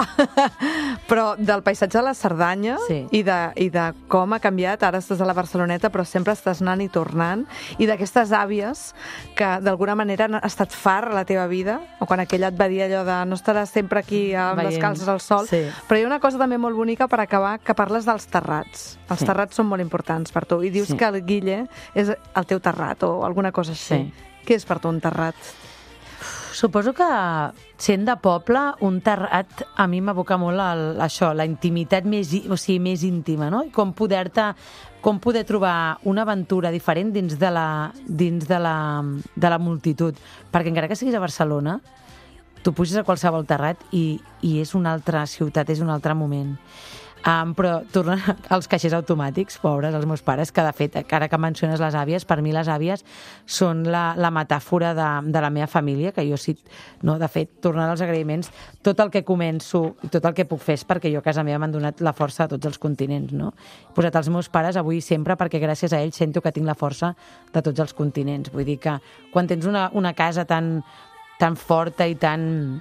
però del paisatge de la Cerdanya Sí. i, de, i de com ha canviat. Ara estàs a la Barceloneta, però sempre estàs anant i tornant, i d'aquestes àvies que d'alguna manera han estat far a la teva vida, o quan aquella et va dir allò de no estaràs sempre aquí amb les Veient. calces al sol, Sí. però hi ha una cosa també molt bonica per acabar, que parles dels terrats. Els Sí. terrats són molt importants per tu, i dius Sí. que el Guille és el teu terrat o alguna cosa així. Sí. Què és per tu un terrat? Suposo que, sent de poble, un terrat a mi m'evoca molt el, això, la intimitat més, í- o sigui, més íntima, no? I com poder-te, com poder trobar una aventura diferent dins de la, dins de la, de la multitud. Perquè encara que siguis a Barcelona, tu puges a qualsevol terrat i, i és una altra ciutat, és un altre moment. Um, però tornant als caixers automàtics, pobres, els meus pares, que de fet, ara que menciones les àvies, per mi les àvies són la, la metàfora de, de la meva família, que jo sí, no, de fet, tornant als agraïments, tot el que començo i tot el que puc fer és perquè jo a casa meva m'han donat la força de tots els continents, no? He posat els meus pares avui sempre perquè gràcies a ells sento que tinc la força de tots els continents. Vull dir que quan tens una, una casa tan tan forta i tan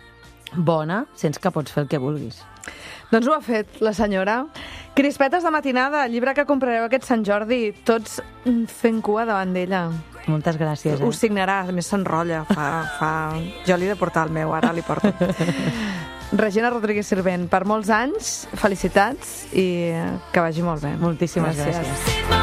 bona, sents que pots fer el que vulguis. Doncs ho ha fet la senyora. Crispetes de matinada, llibre que comprareu aquest Sant Jordi, tots fent cua davant d'ella. Moltes gràcies. Eh? Ho signarà, a més s'enrotlla. Fa, fa... Jo li he de portar el meu, ara li porto. Regina Rodríguez Sirvent, per molts anys, felicitats i que vagi molt bé. Moltíssimes gràcies. gràcies.